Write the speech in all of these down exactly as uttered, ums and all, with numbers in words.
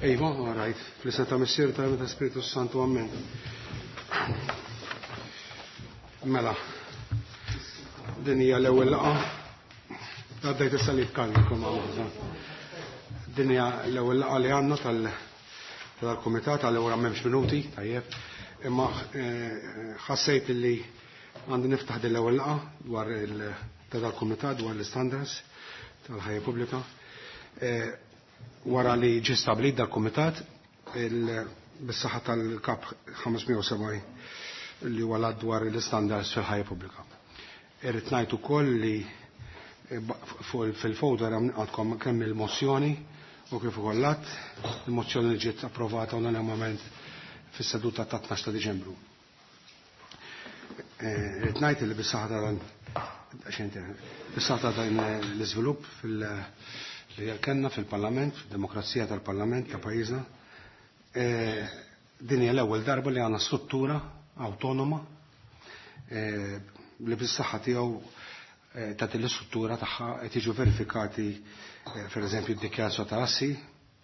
Iva, all right. Fl-isem ta' Missier ta' ta' Spiritu Santu, Amen. Mela, din hija l-ewwel laqgħa. Għaddejt is-salib kalmikom Din hija l-ewwel laqgħa li għandna tal-kumitat għal-ewwel m'hemmx minuti, tajjeb. Imma ħassejt li għandi niftaħ din l-ewwel laqgħa dwar tal-kumitat dwar l-istandards tal-ħajja pubblika. Wara li ġie stabbilit dal-kumitat bis-saħħa tal-kap ħames mija u sebgħin li huwa dwar l-istandards fil-ħajja pubblika. Irrid ngħid ukoll li fil-folder għandkom kemm il-mozzjoni u kif ukoll l-att, il-mozzjoni li ġiet approvata unanimament fis-seduta ta' tnax ta' Diċembru. Irrid ngħid li bis-saħħa ta' bis-saħħa ta' dan l-iżvilupp fil- li kellna fil-Parlament, fil-demokrazija tal-Parlament ta' pajjiżna, din hija l-ewwel darba li għandna struttura awtonoma li bis-saħħa tiegħu ta' din l-istruttura tagħha qed jiġu verifikati pereżempju d-dikjarazzjoni ta' assi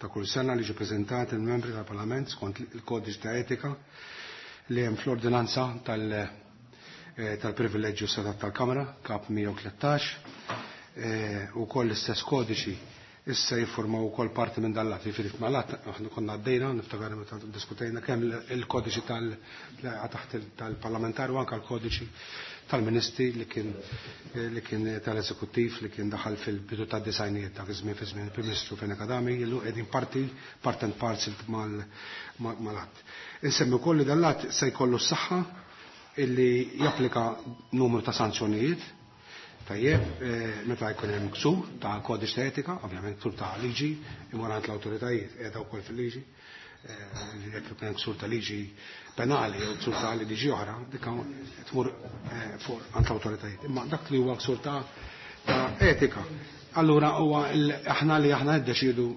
ta' kull sena li ġi preżentati l-membri tal-Parlament skont il-kodiċ ta' etika li hemm fl-ordinanza tal-privileġġju setat tal-Kamra, kap mija u tlettax, u koll l-istess kodiċi issa jiffurmaw ukoll parti minn dan l-att. Jiġifieri mal-att aħna konna għaddejna, niftakar meta diskutejna kemm il-kodiċi tal taħt tal-parlamentari u anke l-kodiċi tal-ministri li kien li kien tal-eżekuttiv li kien daħal fil-bidu tad-disajnijiet dak iż-żmien fi żmien il-Prim Ministru Fenech Adami, illu qegħdin parti part and parcel mal-att. Insemmi wkoll li dan l-att se jkollu s-saħħa illi japplika numru ta' sanzjonijiet. Tajjeb, meta jkun hemm ksur ta' kodiċ ta' etika, ovvjament ksur ta' liġi, imur għand l-awtoritajiet qiegħda wkoll fil-liġi, jekk ikun hemm ksur ta' liġi penali jew ksur ta' liġi oħra, dik tmur fuq għand l-awtoritajiet. Imma dak li huwa ksur ta' etika, allura huwa aħna li aħna niddeċiedu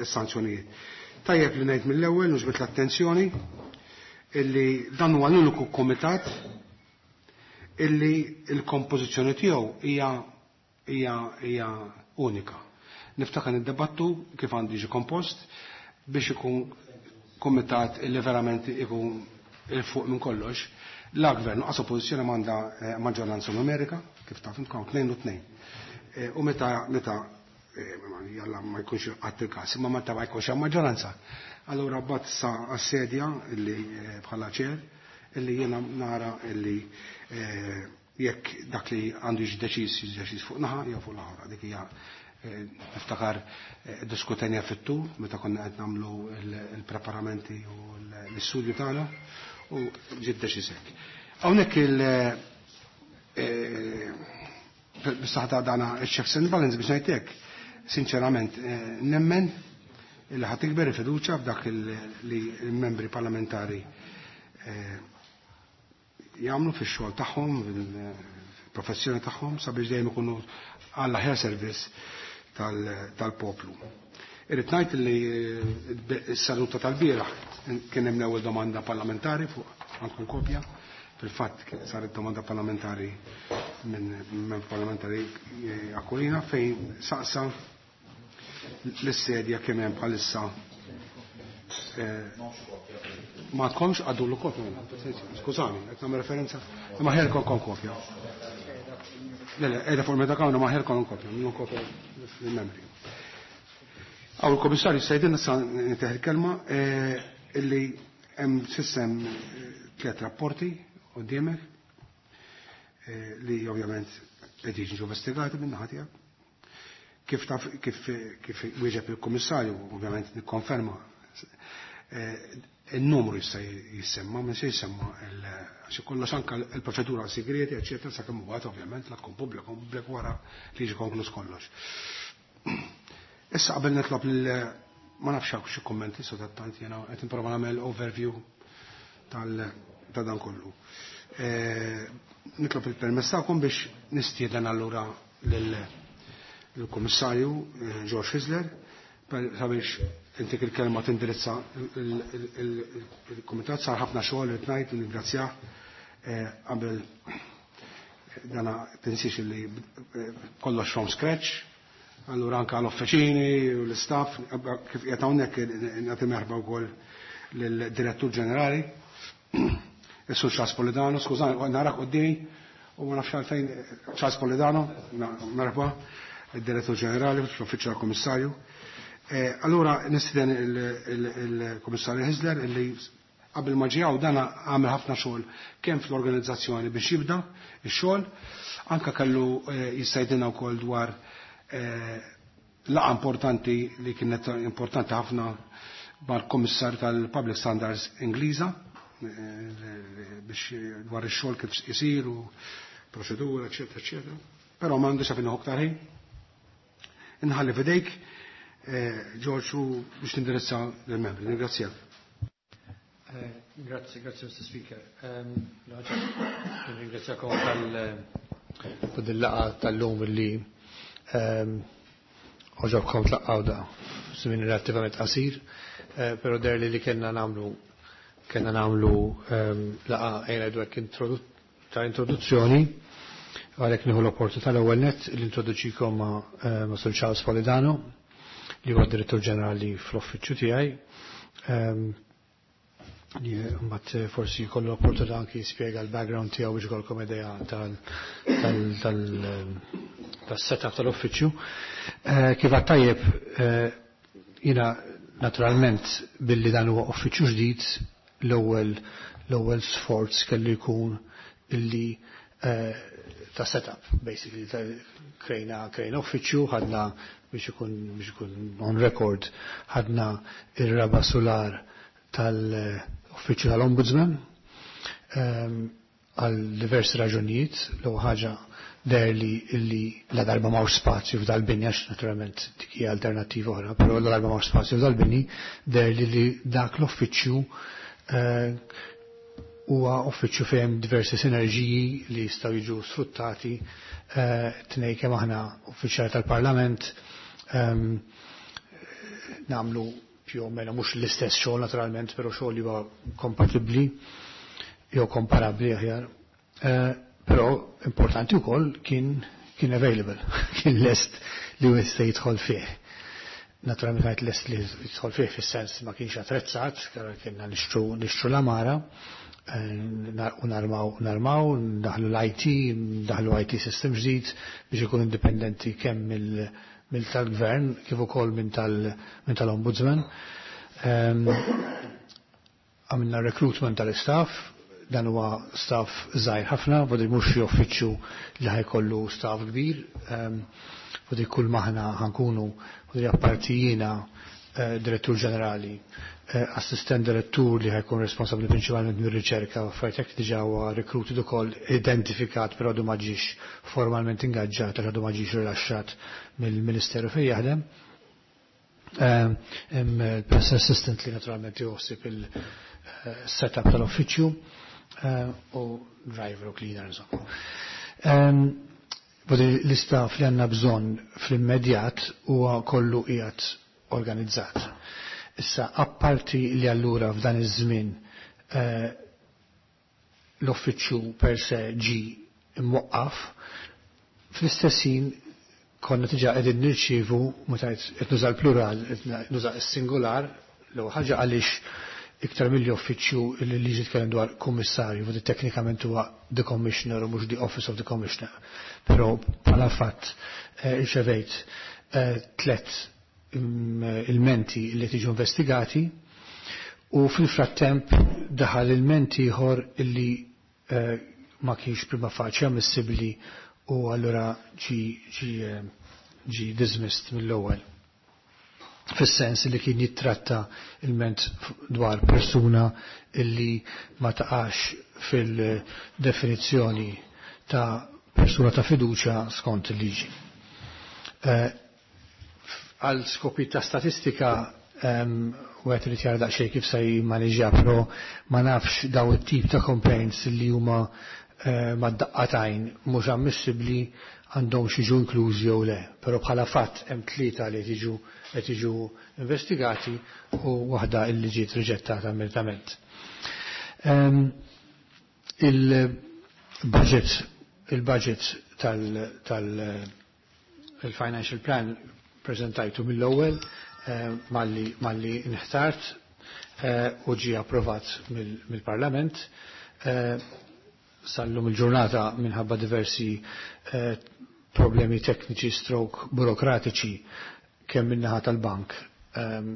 s-sanzjonijiet. Tajjeb li ngħid mill-ewwel nġbed l-attenzjoni illi dan huwa l-uniku kumitat illi l-kompożizzjoni tiegħu hija hija hija unika. Niftakar niddebattu kif għandu jiġi kompost biex ikun kumitat illi verament ikun il fuq minn kollox. La gvern qas oppożizzjoni m'għandha maġġoranza numerika, kif taf intkom tnejn u tnejn. U meta meta jalla ma jkunx qatt il-każ, imma meta ma jkunx hemm maġġoranza. Allura mbagħad sa għas-sedja illi bħala ċer illi jiena nara illi jekk dak li għandu jiġi deċiż jiġi deċiż fuq naħa jew fuq l-oħra. Dik hija niftakar diskutenja fit-tul meta konna qed nagħmlu il-preparamenti u l-istudju tagħna u ġiet deċiż hekk. Hawnhekk il bis-saħħa ta' dana checks and balance biex ngħid hekk, sinċerament nemmen li ħadd tikber il-fiduċja f'dak li l-membri parlamentari jagħmlu fix-xogħol tagħhom, fil-professjoni tagħhom sabiex dejjem ikunu għall aħjar servizz tal-poplu. Irrid ngħid li s-saluta tal-bieraħ kien hemm l-ewwel domanda parlamentari fuq għandkom kopja. Fil-fatt saret domanda parlamentari minn membru parlamentari Aquilina fejn saqsa l-sedja kemm hemm bħalissa. Ma tkomx għaddu l-kopja, skużani, qed nagħmel referenza, ma ħer kon kopja. Le, le, qiegħda fuq meta kawna ma ħer kon kopja, minnu kopja fil-membri. Għaw il-komissarju sejdin issa niteħ il-kelma illi hemm s'issa tliet rapporti quddiemek li ovvjament qed jiġu investigati minn naħa tiegħek. Kif taf, kif, kif wieġeb il-kummissarju, ovvjament nikkonferma il-numru jista' jissemma, minn se jissemma għax kollox anke l-proċedura segreti, eċetera, sakemm huwa ovvjament la tkun pubblika, pubblika wara li jiġi konkluż kollox. Issa qabel nitlob lil ma nafx hawn xi kummenti so tattant jiena qed nipprova nagħmel overview tal ta' dan kollu. Nitlob il-permess tagħkom biex nistieden allura lill-Kummissarju George Hyzler sabiex intik il-kelma tindirizza il-Kumitat. Sar ħafna xogħol li tnajt u ningrazzjah qabel dana tinsiex li kollox from scratch, Allura anka l-uffiċini u l-istaff, kif qiegħed hawnhekk nagħti merħba wkoll lill-Direttur Ġenerali, is-Sur Charles Polidano, skużani, narak quddiemi u ma nafx għalfejn Charles Polidano, merħba, id-Direttur Ġenerali fl-Uffiċċju tal-Kummissarju. Allura nistieden il-Kummissarju Hyzler illi qabel ma ġie dan għamel ħafna xogħol kemm fl-organizzazzjoni biex jibda x-xogħol, anka kellu jistgħidilna wkoll dwar laqgħa importanti li kienet importanti ħafna mal-Kummissarju tal-Public Standards Ingliża biex dwar ix-xogħol kif isir u proċedura, eċetera, eċetera. Però m'għandix għalfejn nieħu aktar ħin. Inħalli f'idejk, George, u biex tindirizza lill-membri. Ningrazzjak. Grazzi, grazzi Mister Speaker. Ringrazzjakom tal-laqgħa tal-lum li għoġobkom tlaqqaw da. Żmien relattivament qasir, però der li li kellna nagħmlu kellna nagħmlu laqgħa ejna dwar ta' introduzzjoni, għalhekk nieħu l-opportunità l-ewwel nett li introduċikom ma' Sur Charles Polidano, li huwa Direttur Ġenerali fl-uffiċċju tiegħi. Li mbagħad forsi jkollu l-opportunità anki jispjega l-background tiegħu biex ikolkom idea tas-setup tal-uffiċċju. Kif għad tajjeb, jiena naturalment billi dan huwa uffiċċju ġdid, l-ewwel l-ewwel sforz kellu jkun illi ta' setup, basically krejna krejna uffiċċju, ħadna biex ikun biex ikun on record, ħadna ir-raba' solar tal-uffiċċju tal-Ombudsman għal diversi raġunijiet. L-ewwel ħaġa der li illi la darba m'hawnx spazju f'dal-bini, għax naturalment dik hija alternattiva oħra, però la darba m'hawnx spazju f'dal-bini, der li li dak l-uffiċċju huwa uffiċċju fejn diversi sinerġiji li jistgħu jiġu sfruttati tnejn kemm aħna uffiċjali tal-Parlament nagħmlu più o meno mhux l-istess xogħol naturalment, però xogħol li huwa kompatibbli jew komparabbli aħjar. Però importanti wkoll kien kien available, kien lest li jista' jidħol fih. Naturalment kienet lest li jidħol fih fis-sens ma kienx attrezzat, kienna nixtru nixtru l-amara u narmaw narmaw, ndaħlu l-I T, ndaħlu I T system ġdid biex ikun indipendenti kemm mill tal-gvern kif ukoll minn tal-ombudsman. Għamilna recruitment tal-istaff, dan huwa staff żgħir ħafna, vodi mhux xi uffiċċju li ħajkollu staff kbir, vodi kull maħna ħankunu, vodi apparti jiena direttur ġenerali, assistent direttur li ħajkun responsabbli prinċipalment mir-riċerka u affarijiet hekk diġà huwa recruited ukoll, identifikat, però għadu ma ġiex formalment ingaġġat għax għadu ma ġiex rilaxxat mill-Ministeru fejn jaħdem. Hemm il-press assistant li naturalment joħsib il-setup tal-uffiċċju u driver u cleaner insomma. Vodi l-istaff li għandna bżonn fl-immedjat huwa kollu qiegħed organizzat. Issa, apparti li allura f'dan iż-żmien l-uffiċċju per se ġi imwaqqaf, fl-istess ħin konna diġà qegħdin nirċievu, meta qed nuża l-plural, qed nuża s-singular, l-ewwel ħaġa għaliex iktar mill uffiċċju li liġi tkellem dwar kummissarju, vodi teknikament huwa the commissioner u mhux the office of the commissioner. Però bħala fatt irċevejt tliet ilmenti li tiġu investigati u fil-frattemp daħal ilmenti ieħor illi ma kienx prima facie ammissibbli u allura ġi ġi ġi dismissed mill-ewwel. Fis-sens li kien jittratta ilment dwar persuna illi ma taqax fil-definizzjoni ta' persuna ta' fiduċja skont il-liġi. Għal skopi ta' statistika u għet li jara daqsxejn kif se jimmaneġġja, però ma nafx daw it-tip ta' complaints li huma mad-daqqatajn mhux ammissibbli għandhom xi inklużi jew le, però bħala fatt hemm tlieta li tiġu qed jiġu investigati u waħda illi ġiet riġettata immedjatament. Il-budget il-budget tal tal Il-financial plan prezentajtu mill-ewwel eh, malli malli nħtart eh, u ġie approvat mill-Parlament. Eh, sal-lum il-ġurnata minħabba diversi problemi tekniċi stroke burokratiċi kemm min-naħa tal-bank ehm,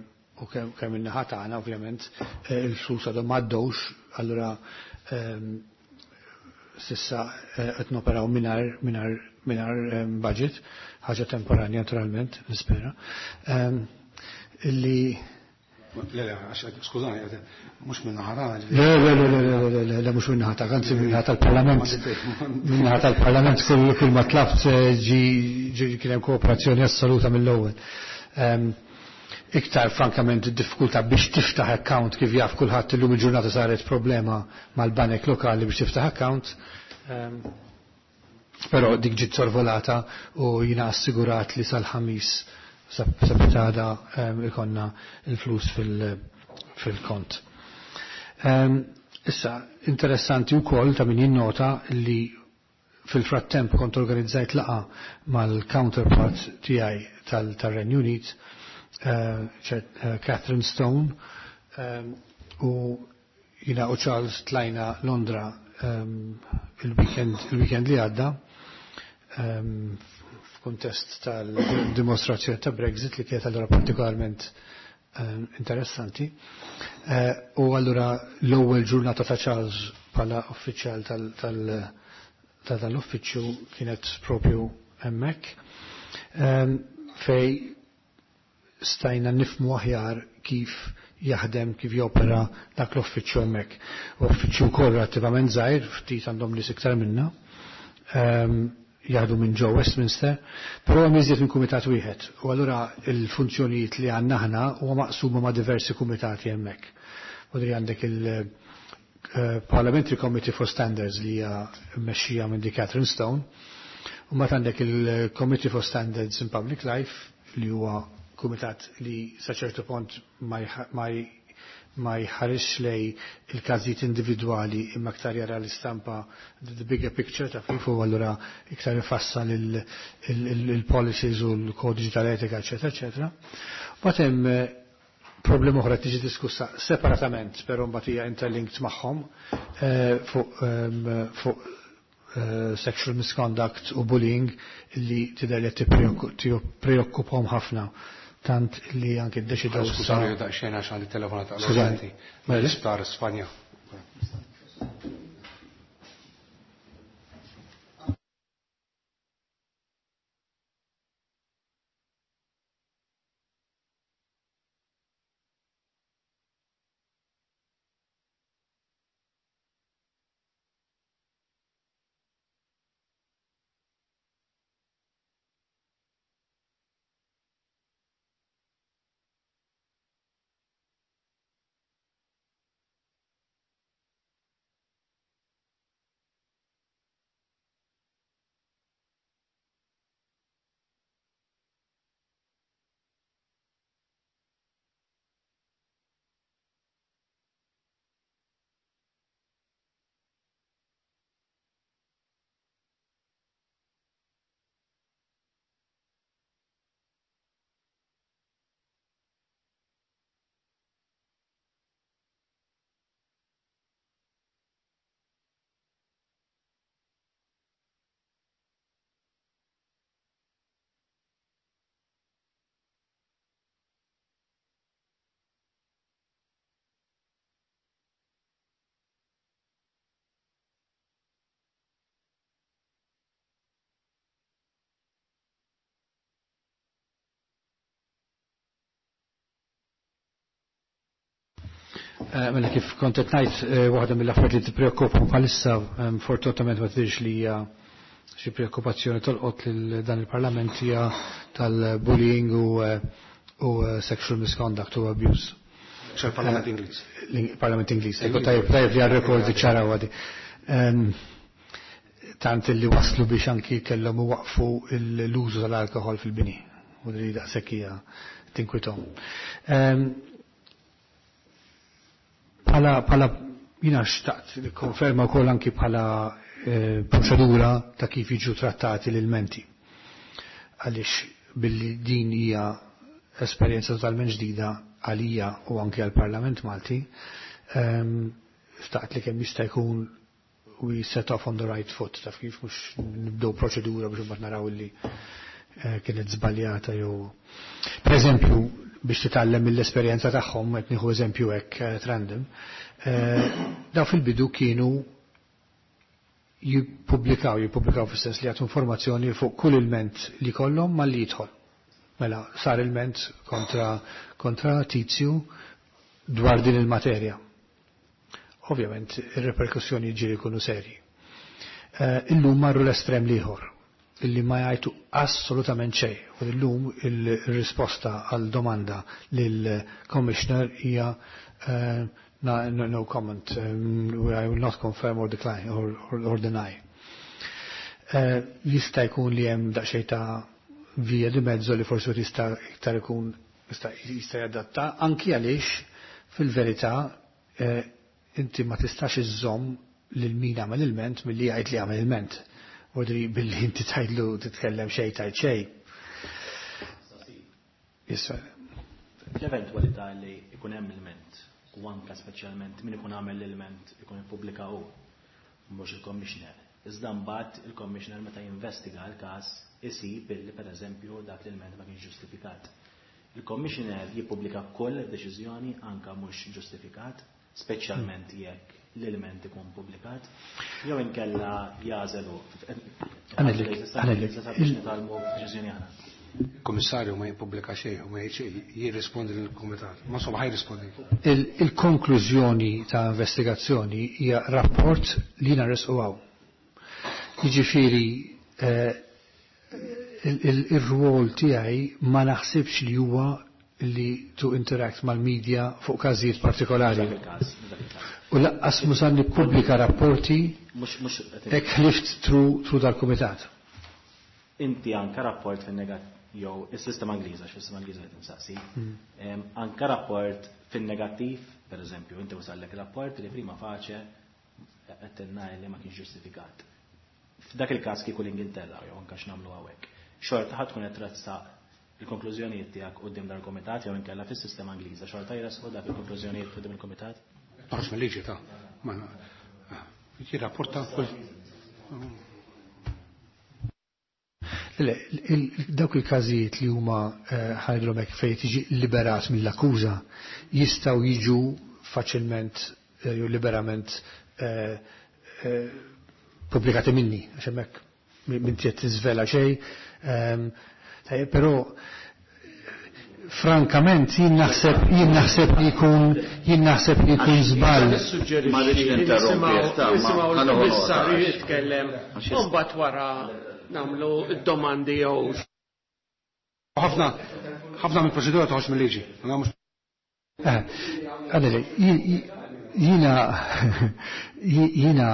u kemm min-naħa tagħna ovvjament il-flus għadhom m'għaddewx, allura ehm, sissa qed noperaw mingħajr mingħajr mingħajr ehm, budget, ħaġa temporanja naturalment, nispera. Ehm, illi Le, le, skużani, mhux minn naħa Le, le, le, le, le, le, le, mhux minn naħa ta' anzi minn naħa tal-Parlament. Minn naħa tal-Parlament kull kull ma tlabt eh, ġi ġi kien hemm kooperazzjoni assoluta mill-ewwel. Ehm, iktar frankament id-diffikultà biex tiftaħ account kif jaf kulħadd illum il-ġurnata saret problema mal-banek lokali biex tiftaħ account. Ehm, però dik ġiet sorvolata u jina assigurat li sal-ħamis sabitada ehm, ikonna il-flus fil-kont. Ehm, issa, interessanti wkoll ta' min jinnota li fil-frattemp kont organizzajt laqa mal-counterpart tiegħi tal-Renju Unit, eh, eh, Catherine Stone, ehm, u jina u Charles tlajna Londra il-weekend il-weekend li għadda ehm, f'kuntest tal-dimostrazzjoni ta' Brexit li kienet allura partikolarment ehm, interessanti. Eh, u allura l-ewwel ġurnata ta' Charles bħala uffiċjal tal- tal- ta' tal-uffiċċju kienet propju hemmhekk. Ehm, fej stajna nifmu aħjar kif jaħdem, kif jopera dak l-uffiċċju hemmhekk. Uffiċċju wkoll relattivament żgħir, ftit għandhom nies iktar minna. Ehm, jaħdu minn ġo Westminster, però hemm iżjed minn kumitat wieħed. U allura il-funzjonijiet li għandna aħna huwa maqsuma ma' diversi kumitati hemmhekk. Vodri għandek il-Parliamentary Committee for Standards li hija mmexxija minn di Catherine Stone, u mbagħad għandek il-Committee for Standards in Public Life li huwa kumitat li sa ċertu punt ma ma jħarisx lej il-każijiet individwali imma iktar jara l-istampa the bigger picture ta' kif u allura iktar ifassal il-policies u l-kodiċi tal-etika, eċetera, eċetera. Mbagħad hemm eh, problema oħra tiġi diskussa separatament, però mbagħad hija interlinked magħhom eh, fuq ehm, fuq eh, sexual misconduct u bullying li tidher li tippreokkupahom ħafna tant li anke ddeċidew issa. Skużani daqsxejn għax għandi telefonata Skużani. Mela l-isptar Spanja. Eh, mela kif kont qed ngħid eh, waħda mill-affarijiet li tippreokkupahom bħalissa ehm, fortunatament ma tidhirx li hija xi preokkupazzjoni tolqot lil dan il-Parlament hija tal-bullying u eh, u sexual misconduct u abuse. ċal-Parlament Ingliż. Parlament Ingliż. Ekku tajjeb tajjeb li għal-rekord ċara għadi. Ehm, tant li waslu biex anki kellhom waqfu l-użu tal-alkohol fil-bini. U li daqshekk hija tinkwithom. Ehm, Bħala bħala jina xtaqt li konferma wkoll anki bħala eh, proċedura ta' kif jiġu trattati l-ilmenti. Għaliex billi din hija esperjenza totalment ġdida għalija u anke għall-Parlament Malti, xtaqt li kemm jista' jkun we set off on the right foot, taf kif, mhux nibdew proċedura biex imbagħad naraw li kienet żbaljata jew. Per eżempju, biex titgħallem mill-esperjenza tagħhom, qed nieħu eżempju hekk random, daw fil-bidu kienu jippubblikaw, jippubblikaw fis-sens li jagħtu informazzjoni fuq kull ilment li kollhom malli jidħol. Mela, sar ilment kontra, kontra tizju dwar din il-materja. Ovvjament, ir-reperkussjoni ġieli jkunu serji. Illum marru l-estrem l-ieħor, illi ma jgħidu assolutament xejn. U illum il-risposta għal domanda lill-Commissioner hija no, no, no comment, um, I will not confirm or decline or, or, or deny. Uh, jista' jkun li hemm daqsxejn ta' via di mezzo li forsi jista' iktar ikun jista' jista' jadatta, anki għaliex fil-verità eh, inti ma tistax iżżomm lil min għamel ilment milli jgħid li għamel ilment. Vodri billi inti tgħidlu titkellem xejn tgħid xejn. Yes, L-eventwalità li ikun hemm ilment u anke speċjalment min ikun għamel l-ilment ikun ippubblika hu, mhux il-commissioner. Iżda mbagħad il-commissioner meta jinvestiga l-każ isib illi pereżempju dak l-ilment ma kienx ġustifikat. Il-commissioner jippubblika kull deċiżjoni anka mhux ġustifikat, speċjalment jekk l-ilment ikun pubblikat, jew inkella jażelu. Għanellik, għanellik. Nitgħallmu deċiżjoni aħna. Komissarju ma jippubblika xejn u ma jirrispondi lill-kumitat. Ma insomma ħaj jirrispondi. Il-konklużjoni ta' investigazzjoni hija rapport li naresqu hawn. Jiġifieri ir-rwol tiegħi ma naħsibx li huwa li to interact mal-media fuq każijiet partikolari. U laqqas musan nippubblika rapporti hekk ħlift through dal-kumitat. Inti anka rapport fin-negattiv jew is-sistema Ingliża, x'fis-sistema Ingliża qed insaqsi. Anka rapport fin-negattiv, pereżempju, inti wasallek rapport li prima facie qed tinnaj li ma kienx ġustifikat. F'dak il-każ kieku l-Ingilterra jew anke x'nagħmlu hawnhekk. Xorta ħadd tkun qed tressaq il-konklużjonijiet tiegħek quddiem dan il-kumitat jew inkella fis-sistema Ingliża, xorta jressqu dak il-konklużjonijiet quddiem il-kumitat? Toħroġ mill-liġi ta' ma jirrapporta kull. Le, dawk il-każijiet li huma ħajdlhom hekk fejn tiġi liberat mill-akkuża jistgħu jiġu faċilment jew liberament pubblikati minni, għax hemmhekk minn qed tiżvela xejn. Però frankament jien naħseb jien naħseb li jkun jien naħseb li jkun żball. Ma rridx ninterrompi, Nisimgħu l-kummissarju jitkellem u mbagħad wara nagħmlu d-domandi jew. Ħafna ħafna mill-proċedura toħroġ mill-liġi. Għadeli, jiena jiena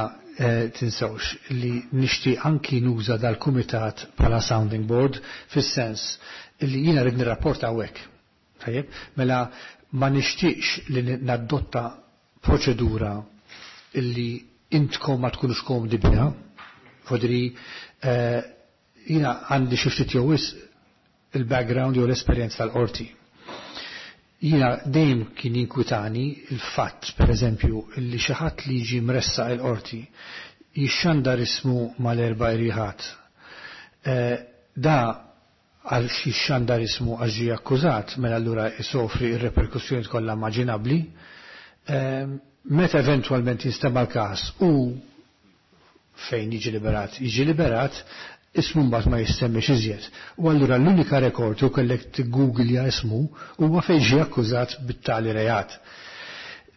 tinsewx li nixtieq anki nuża dal-kumitat bħala sounding board fis-sens li jiena rrid nirrapporta hawnhekk. Tajjeb, mela ma nixtieqx li nadotta proċedura illi intkom ma tkunux komdi biha. Fodri jiena għandi xi ftit jew wisq il-background jew l-esperjenza tal-qorti. Jiena dejjem kien jinkwitani il-fatt, per eżempju, li xi ħadd li jiġi mressaq il-qorti jixxandar ismu mal-erba' irjieħat. Da għal xi xandar ismu għax ġie akkużat, mela allura jsofri r-reperkussjoni kollha immaġinabbli. Meta eventwalment jinstema' l-każ u fejn jiġi liberat, jiġi liberat, ismu mbagħad ma jissemmix iżjed. U allura l-unika rekord u kellek tiggooglja ismu huwa fejn ġie akkużat bit-tali reat.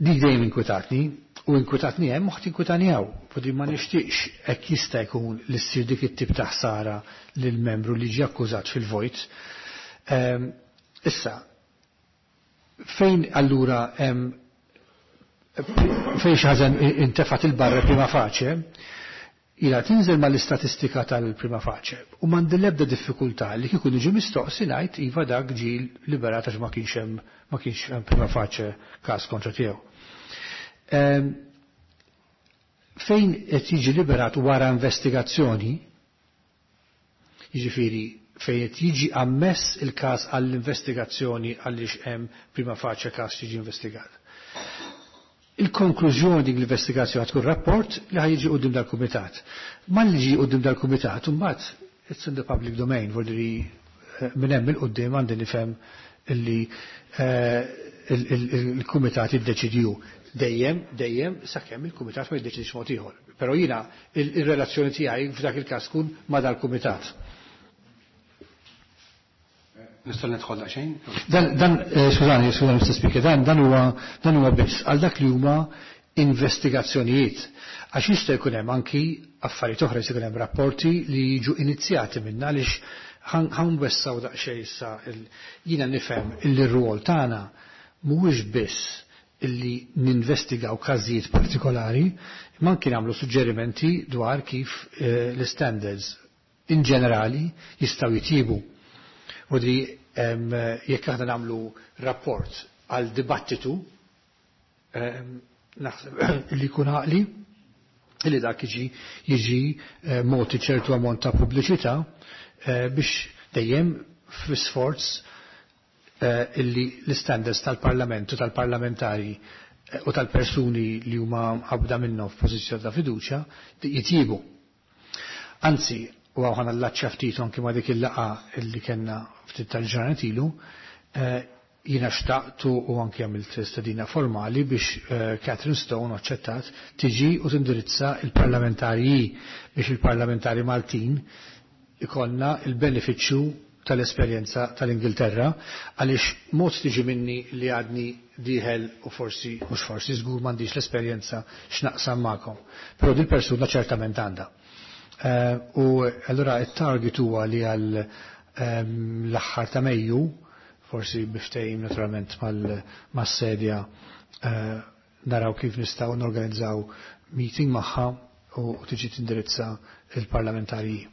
Dik dejjem inkwetatni, u inkwetatni hemm u ħadd inkwetani hawn. Fodi ma nixtieqx hekk jista' jkun li ssir dik it-tip ta' ħsara lil membru li ġie akkużat fil-vojt. Issa, fejn allura hemm fejn xi ħaġa intefgħet il-barra prima facie, ila tinżel mal-istatistika tal-prima facie u m'għandi l-ebda diffikultà li kieku niġi mistoqsi ngħid iva dak ġie liberat għax ma kienx hemm ma kienx hemm prima facie każ kontra tiegħu. Fejn qed jiġi liberat wara investigazzjoni, jiġifieri fejn qed jiġi ammess il-każ għall-investigazzjoni għaliex hemm prima facie każ jiġi investigat. Il-konklużjoni din l-investigazzjoni tkun rapport li ħa jiġi quddiem dal-kumitat. Malli jiġi quddiem dal-kumitat, imbagħad it's in the public domain, vuol minn hemm 'il quddiem għandi nifhem illi il-kumitat jiddeċidju dejjem, dejjem sakemm il-kumitat ma jiddeċidix mod ieħor. Però jiena il-relazzjoni tiegħi f'dak il-każ tkun ma' dal-kumitat. Nista' nidħol daqsxejn? Dan, dan, skużani, skużani, Mister Speaker, dan, dan huwa dan huwa biss għal dak li huma investigazzjonijiet. Għax jista' jkun hemm anki affarijiet oħra, jista' jkun hemm rapporti li jiġu inizjati minna għaliex ħa nwessgħu daqsxejn issa jiena nifhem illi r-rwol tagħna mhuwiex biss illi ninvestigaw każijiet partikolari, imma anki nagħmlu suġġerimenti dwar kif l-standards in ġenerali jistgħu jitjiebu. U di jekk aħna nagħmlu rapport għal dibattitu, naħseb li jkun għaqli illi dak jiġi jiġi mogħti ċertu ammont ta' pubbliċità biex dejjem fl-isforz illi l-standards tal-Parlament u tal-parlamentari u tal-persuni li huma qabda minnhom f'pożizzjoni ta' fiduċja jitjiebu. Anzi, u hawn ħa nallaċċja ftit anki ma' dik il-laqgħa illi kellna ftit tal-ġranet ilu, jiena xtaqtu u anki għamilt stedina formali biex Catherine Stone aċċettat tiġi u tindirizza il-parlamentari biex il-parlamentari Maltin ikollna il-benefiċċju tal-esperjenza tal-Ingilterra, għaliex mod tiġi minni li għadni dieħel u forsi, mhux forsi, żgur m'għandix l-esperjenza x'naqsam magħkom. Però dil persuna ċertament għandha. U allura it-target huwa li għal l-aħħar ta' Mejju, forsi biftejim naturalment mas-sedja, naraw kif nistgħu norganizzaw meeting magħha u tiġi tindirizza il-parlamentari.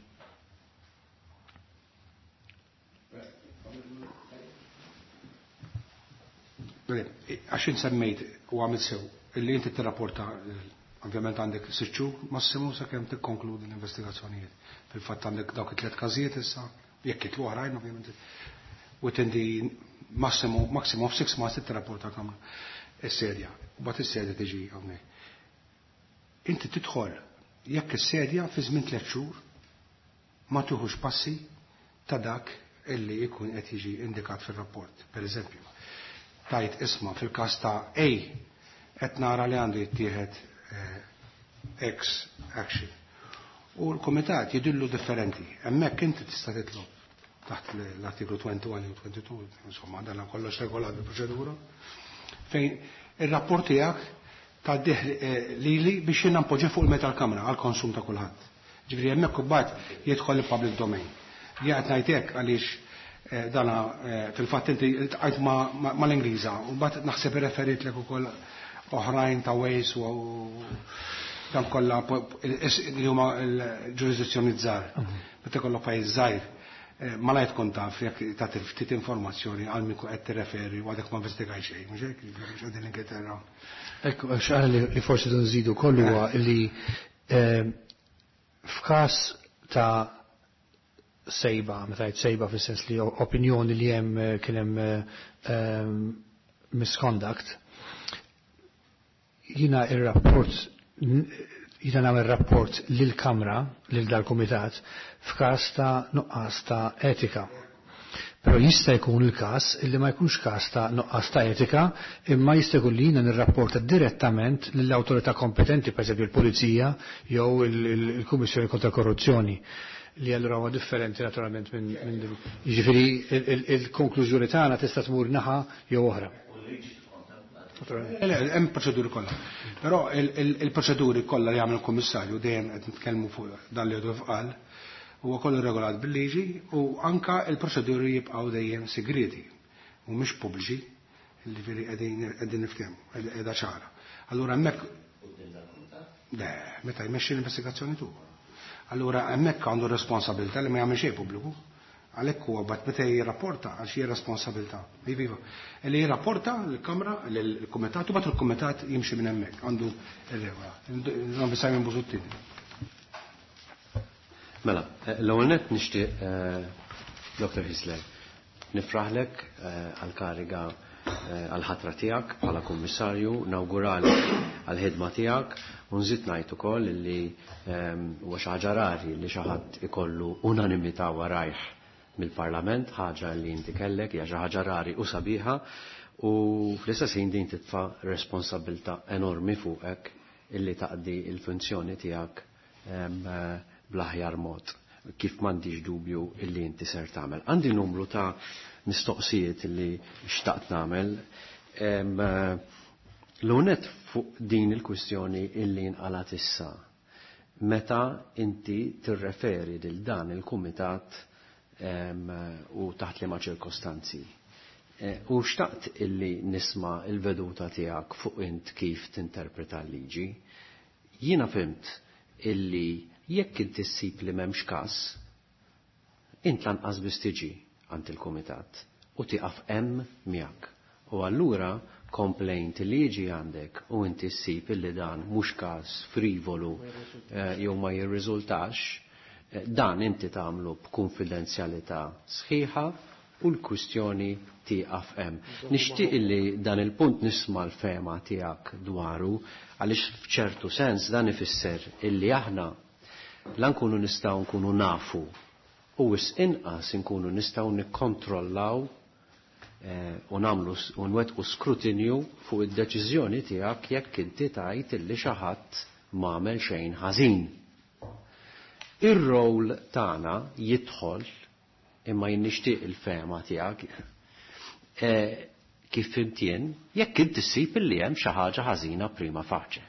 Għax semmejt u għamil sew, illi inti tirrapporta, ovvjament għandek sitt xhur massimu sakemm tikkonkludi l-investigazzjonijiet. Fil-fatt għandek dawk it-tliet każijiet issa, jekk jitlu oħrajn ovvjament, within the maximum, maximum of six months tirrapporta kamra is-sedja. U bagħad is-sedja tiġi hawnhekk. Inti tidħol jekk is-sedja fi żmien tliet xhur ma tieħux passi ta' dak illi jkun qed jiġi indikat fir-rapport. Per eżempju, tajt isma fil-każ ta' A qed nara li għandu jittieħed X action. U l-komitat jidillu differenti. Hemmhekk inti tista' titlob taħt l-artiklu wieħed u tnejn u tnejn u, insomma, dan kollox regolat bil-proċedura, fejn ir-rapport tiegħek tgħaddih lili biex jiena npoġġi fuq il-meta l-kamra għall-konsum ta' kulħadd. Ġifieri hemmhekk imbagħad jidħol il-public domain. Jien qed ngħid hekk għaliex dana fil-fatt inti ltqajt mal-Ingliża u mbagħad naħseb irreferitlek ukoll oħrajn ta' Wales u dan kollha li huma l-ġurisdizzjoni żgħar. Meta jkollok pajjiż żgħir, malajr tkun taf jekk tagħti ftit informazzjoni għal min qed tirreferi u għadek ma investigaj xejn, mhux hekk, mhux qegħdin l-Ingilterra. Ekku, xi li forsi nżidu kollu huwa li f'każ ta' sejba, meta jgħid sejba fis-sens li opinjoni li hemm kien hemm misconduct, jiena ir-rapport jiena nagħmel rapport lill-Kamra, lil dal-Kumitat, f'każ ta' nuqqas ta' etika. Però jista' jkun il-każ illi ma jkunx każ ta' nuqqas ta' etika, imma jista' jkun li jiena nirrapporta direttament lill-awtorità kompetenti, pereżempju l-Pulizija jew il-Kummissjoni kontra Korruzzjoni, li allura huwa differenti naturalment minn minn jiġifieri il-konklużjoni tagħna tista' tmur naħa jew oħra. Le, hemm proċeduri kollha. Però il-proċeduri kollha li jagħmel il-Kummissarju dejjem qed nitkellmu fuq dan li għadu qal, huwa kollu regolat bil-liġi u anka il-proċeduri jibqgħu dejjem segreti mhumiex pubbliċi, jiġifieri qegħdin qegħdin niftehmu, qiegħda ċara. Allura hemmhekk le, meta jmexxi l-investigazzjoni tu. Allura hemmhekk għandu responsabilità li ma jagħmel xejn pubbliku. Għalhekk huwa bat meta jirrapporta għax hija responsabilità. Iva, iva. Li jirrapporta l-Kamra, l-Kumitat, u bat il-Kumitat jimxi minn hemmhekk, għandu r-regola. Nagħmel Simon Busuttil. Mela, l-ewwel nett nixtieq Doktor Hyzler, nifraħlek għal-kariga, għal-ħatra tiegħek bħala kummissarju, nawguralek għal-ħidma tiegħek u nżid ngħid ukoll li huwa xi ħaġa rari li xi ħadd ikollu unanimità warajh mill-Parlament, ħaġa li inti kellek, hija xi ħaġa rari u sabiħa, u fl-istess ħin din titfa' responsabilità enormi fuqek illi taqdi il-funzjoni tiegħek bl-aħjar mod, kif m'għandix dubju illi inti ser tagħmel. Għandi numru ta' mistoqsijiet illi xtaqt nagħmel. L-unet fuq din il-kwistjoni illi nqalat issa. Meta inti tirreferi lil dan il-kumitat u taħt liema ċirkostanzi. U xtaqt illi nisma' il-veduta tiegħek fuq int kif tinterpreta l-liġi. Jiena fimt illi jekk inti ssib li m'hemmx każ, int lanqas biss tiġi għand il-kumitat u tieqaf hemm miegħek. U allura complaint li jiġi għandek u inti ssib illi dan mhux każ frivolu jew ma jirriżultax, dan inti tagħmlu b'konfidenzjalità sħiħa u l-kwistjoni tieqaf hemm. Nixtieq illi dan il-punt nisma' l-fema tiegħek dwaru, għaliex f'ċertu sens dan ifisser illi aħna la nkunu nistgħu nkunu nafu u wisq inqas nkunu nistgħu nikkontrollaw u nagħmlu u nwettqu skrutinju fuq id-deċiżjoni tiegħek jekk inti tgħid illi xi ħadd m'għamel xejn ħażin. Ir-rol tagħna jidħol, imma jien nixtieq il-fema tiegħek kif fimt jien, jekk inti ssib illi hemm xi ħaġa ħażina prima faċe.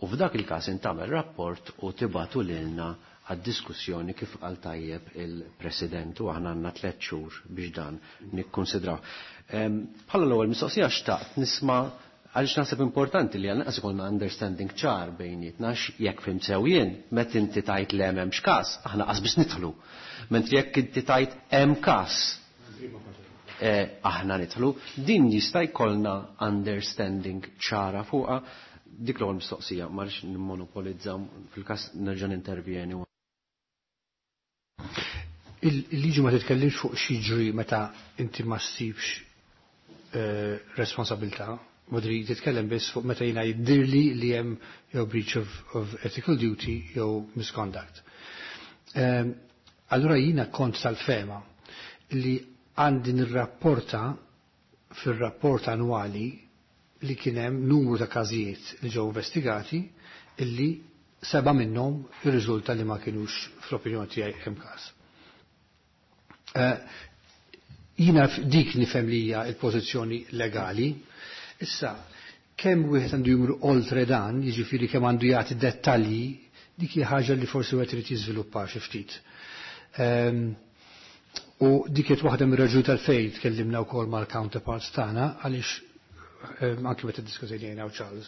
U f'dak il-każ intagħmel rapport u tibatu lilna għad-diskussjoni kif qal tajjeb il-President u aħna għandna tliet xhur biex dan nikkonsidraw. Bħala l-ewwel mistoqsija xtaqt nisma' għaliex naħseb importanti li għalnaqas ikollna understanding ċar bejnietna jekk fim sew jien, meta inti tajt le m'hemmx każ, aħna qas biex nidħlu. Mentri jekk inti tajt hemm każ, aħna nidħlu, din jista' jkollna understanding ċara fuqha. Dik l-ewwel mistoqsija, ma rridx nimmonopolizza, fil-każ nerġa' nintervjeni. Il-liġi ma titkellimx fuq xi meta inti ma ssibx responsabilità, Modri titkellem biss fuq meta jiena jiddirli li hemm jew breach of, of ethical duty jew misconduct. Allura jiena kont tal-fema li għandi nirrapporta fir-rapport annwali li kien hemm numru ta' każijiet li ġew investigati illi seba' minnhom irriżulta li ma kinux fl-opinjoni tiegħi hemm każ. Jiena dik nifhem li hija l-pożizzjoni legali. Issa, kemm wieħed għandu jmur oltre dan, jiġifieri kemm għandu jagħti dettalji, dik hija ħaġa li forsi wieħed irid jiżviluppa xi ftit. U dik qed waħda mir-raġuni tal-fejn tkellimna wkoll mal-counterparts tagħna għaliex anke meta ddiskutejna jiena u Charles,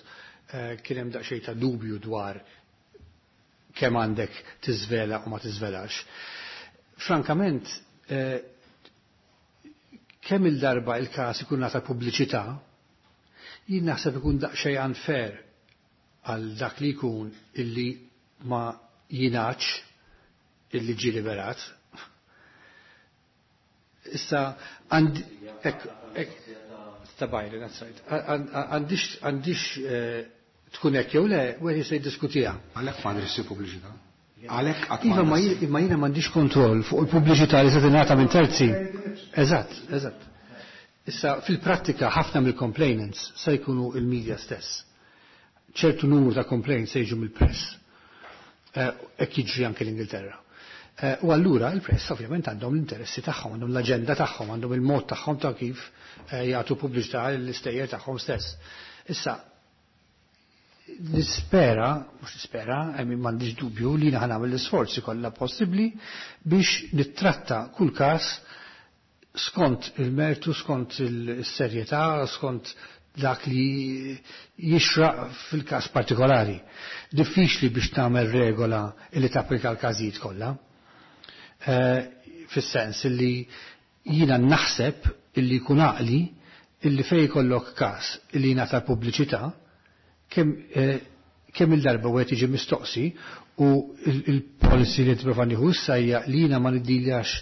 kien hemm daqsxejn ta' dubju dwar kemm għandek tiżvela u ma tiżvelax. Frankament, kemm il-darba il-każ ikun ngħata pubbliċità, jien naħseb ikun daqsxejn unfair għal dak li jkun illi ma jingħadx illi ġie liberat. Issa għandi hekk ta' Byron, that's right. Għandix għandix tkun hekk jew le, wieħed jista' jiddiskutiha. Għalhekk m'għandix issir pubbliċità. Għalhekk qatt Iva, ma jiena m'għandix kontroll fuq il-pubbliċità li se tingħata minn terzi. Eżatt, eżatt. Issa fil-prattika ħafna mill-complainants se jkunu il-media stess. Ċertu numru ta' complaints se jiġu mill-press. Hekk jiġri anke l-Ingilterra. U allura il-press ovvjament għandhom l-interessi tagħhom, għandhom l-aġenda tagħhom, għandhom il-mod tagħhom ta' kif jagħtu pubbliċità l-istejjer tagħhom stess. Issa nispera, mhux nispera, m'għandix dubju li jiena nagħmel l-isforzi kollha possibbli biex nittratta kull każ skont il-mertu, skont il-serjetà, skont dak li jixraq fil-każ partikolari. Diffiċli biex tagħmel regola li tapplika l-każijiet kollha. Fis-sens li jiena naħseb illi jkun għaqli illi fej jkollok każ illi jingħata pubbliċità kemm kemm il-darba wieħed jiġi mistoqsi u il-policy li tipprova nieħu issa hija li jiena ma niddiljax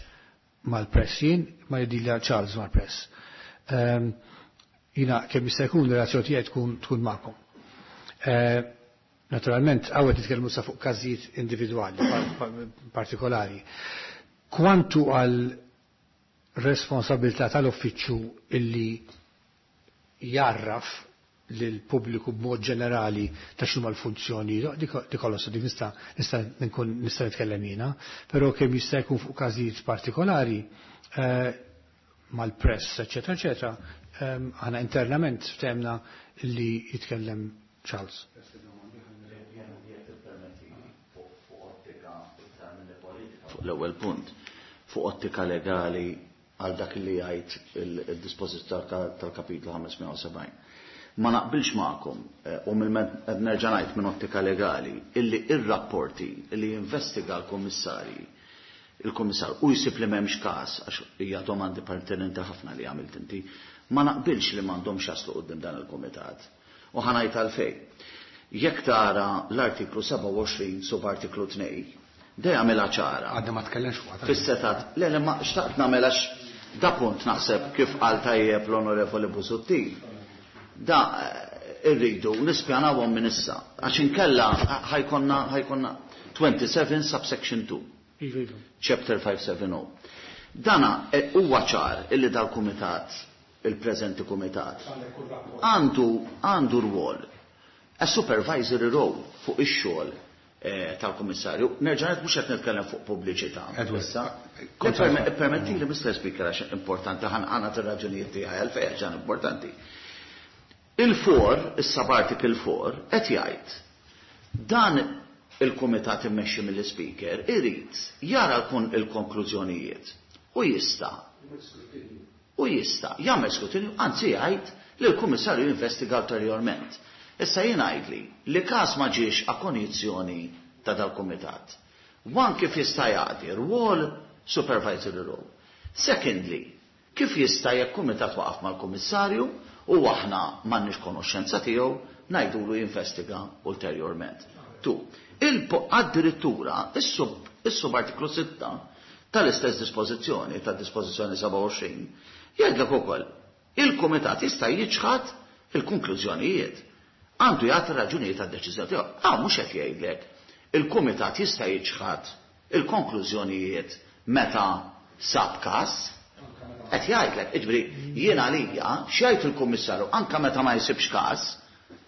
mal-press jien, ma jiddilja Charles mal-press. Ehm, Jiena kemm jista' jkun relazzjoni tiegħi tkun tkun magħkom. Eh, naturalment, hawn nitkellmu sa fuq każijiet individwali partikolari. Kwantu għal responsabilità tal-uffiċċju illi jarraf lil pubbliku b'mod ġenerali ta' x'huma l-funzjoni, dik kollox dik nista' nista' nkun nista' nitkellem jiena, però kemm jista' jkun fuq każijiet partikolari eh, mal-press, eċetera, eċetera, ehm, aħna internament ftemna li jitkellem Charles. Fuq l-ewwel punt, fuq ottika legali għal dak li jgħid il-dispożizzjoni tal-kapitlu ħames mija u sebgħin. Ma naqbilx magħkom eh, u mill nerġa' ngħid minn ottika legali illi ir-rapporti illi jinvestiga l-kummissarji il-kummissar u jsib li m'hemmx każ, għax hija domandi pertinenti ħafna li għamilt inti, ma naqbilx li m'għandhomx jaslu quddiem dan il-kumitat. U ħa ngħid għalfejn. Jekk tara l-artiklu sebgħa u għoxrin subartiklu tnejn, dejja għamilha ċara. Għadna ma tkellemx fuqha. Fis-setat, le, le, ma xtaqt nagħmel għax da punt naħseb kif qal tajjeb l-Onorevoli Busuttil. Da irridu nispjanawhom minn issa, għax inkella ħajkonna, ħajkonna twenty-seven subsection two. Iva, iva. Chapter five seven oh. Dana, eh, huwa ċar illi dal-kumitat, il-preżenti kumitat, għandu, għandu rwol, a supervisory role fuq ix-xogħol, eh, tal-kummissarju. Nerġa' ngħid mhux qed nitkellem fuq pubbliċità. Edward, Issa, kont perme-, għadha. permetti li Mister Speaker għax importanti, ħan għana t-raġunijiet tiegħi għalfejn ġan importanti. Il-four, is-subarticle four, qed jgħid dan il-kumitat immexxi mill-Speaker irid jara l-kon-, il-konklużjonijiet u jista' u jista' jagħmel skrutinju, anzi jgħid li l-Kummissarju jinvestiga ulterjorment. Issa jien ngħidli li każ ma ġiex a konjizzjoni ta' dal-kumitat. One, kif jista' jagħti rwol supervisory role. Secondly, kif jista' jekk kumitat waqaf mal-Kummissarju u aħna m'għandniex konoxxenza tiegħu ngħidulu jinvestiga ulterjorment. Two, il-po-, addirittura is-sub-, is-subartiklu sitta tal-istess dispożizzjoni, tad-dispożizzjoni sebgħa u għoxrin, jgħidlek ukoll il-kumitat jista' jiċħad il-konklużjonijiet. Għandu jagħti raġunijiet għad-deċiżjoni tiegħu. Ah, mhux qed jgħidlek il-kumitat jista' jiċħad il-konklużjonijiet meta sab każ. Qed jgħidlek, jiġifieri jien għalija x'jgħid il-kummissarju anke meta ma jsibx każ,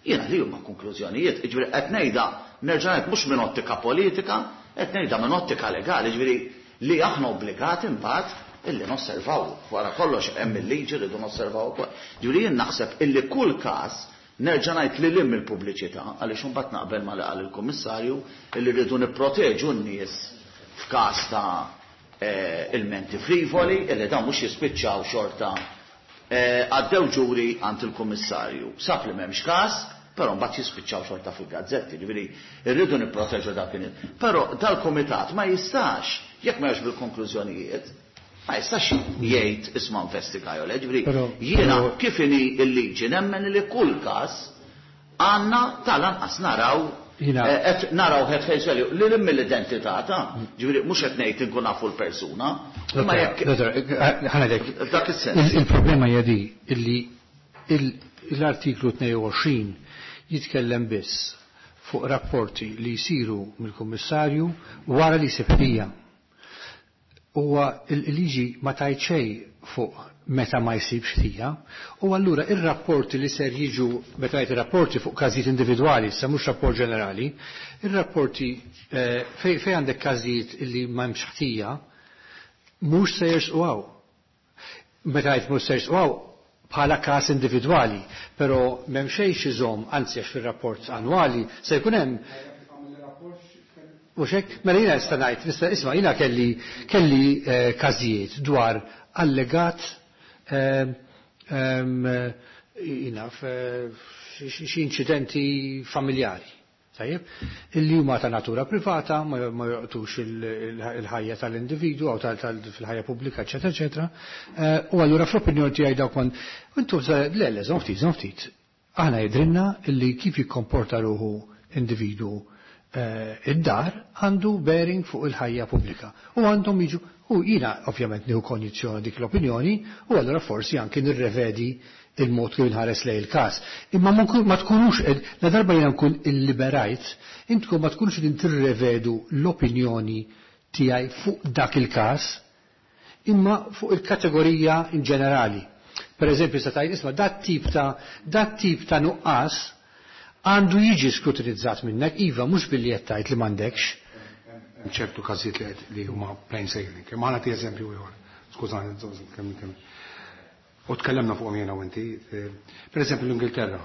jien għalija huma konklużjonijiet, jiġifieri qed ngħidha nerġa' ngħid mhux minn ottika politika, qed ngħidha minn ottika legali, jiġifieri li aħna obbligati mbagħad illi nosservaw. Wara kollox hemm il-liġi rridu nosservaw ukoll. Jiġifieri jien naħseb illi kull każ nerġa' ngħid li lim il-pubbliċità għaliex imbagħad naqbel ma li qal il-Kummissarju illi rridu nipproteġu n-nies f'każ ta', eh, ilmenti frivoli illi dawn mhux jispiċċaw xorta, eh, għaddew ġuri għand il-Kummissarju. Sab li m'hemmx każ, però mbagħad jispiċċaw xorta fil-gazzetti, ġifieri rridu nipproteġu dak in-nies. Però dal-kumitat ma jistax, jekk ma jgħix bil-konklużjonijiet, ma jistax jgħid isma' investiga jew le, ġifieri Però, jiena però kif inhi l-liġi nemmen li kull każ għandna tal-anqas naraw Jiena eh, qed naraw head face value li lim mill-identità ta' ġifieri mhux qed ngħid inkun nafu l-persuna, imma Dottor, jekk dottor, eh, ħa ngħidlek. Dak is-sens. Il-, il-problema hija di illi il-, l-artiklu tnejn u għoxrin jitkellem biss fuq rapporti li jsiru mill-Kummissarju wara li jsib ħtija. Huwa il-liġi ma tajt xejn fuq meta ma jsibx ħtija, u allura ir-rapporti li ser jiġu meta jgħid ir-rapporti fuq każijiet individwali, issa mhux rapport ġenerali, ir-rapporti, eh, fej, fej għandek każijiet li ma hemmx ħtija, mhux se jersqu hawn. Meta jgħid mhux se jersqu hawn bħala każ individwali, però m'hemm xejn xi żomm, anzi għax fir-rapport annwali se jkun hemm. Mhux hekk? Mela jiena nista' ngħid, nista' isma' jiena kelli, kelli, eh, każijiet dwar allegat, ehm, ehm, jiena f-, xi, xi inċidenti familjari. Tajjeb, illi huma ta' natura privata, ma, ma joqtux il-, il-, il-ħajja tal-individwu jew tal-, tal-, fil-ħajja pubblika, eċetera, eċetera. Eh, u allura fl-opinjoni tiegħi dawk kon, intu le, le, żomm ftit, żomm ftit. Aħna jidrinna illi kif jikkomporta ruħu individwu, eh, id-dar għandu bearing fuq il-ħajja pubblika. U għandhom jiġu, U jiena ovvjament nieħu konjizzjoni dik l-opinjoni u allura forsi anki nirrevedi il-mod kif inħares lejn il-każ. Imma ma tkunux, la darba jiena nkun illiberajt, intkom ma tkunux qegħdin tirrevedu l-opinjoni tiegħi fuq dak il-każ, imma fuq il-kategorija in ġenerali. Per eżempju, se tgħid isma' dat tip ta' dat tip ta' nuqqas għandu jiġi skrutinizzat minnek, iva mhux billi qed tgħid li m'għandekx. Ċertu każijiet li huma plain sailing. Imma ħa nagħti eżempju ieħor. Skużani, kemm kemm. U tkellemna fuqhom jiena u inti. Per eżempju l-Ingilterra.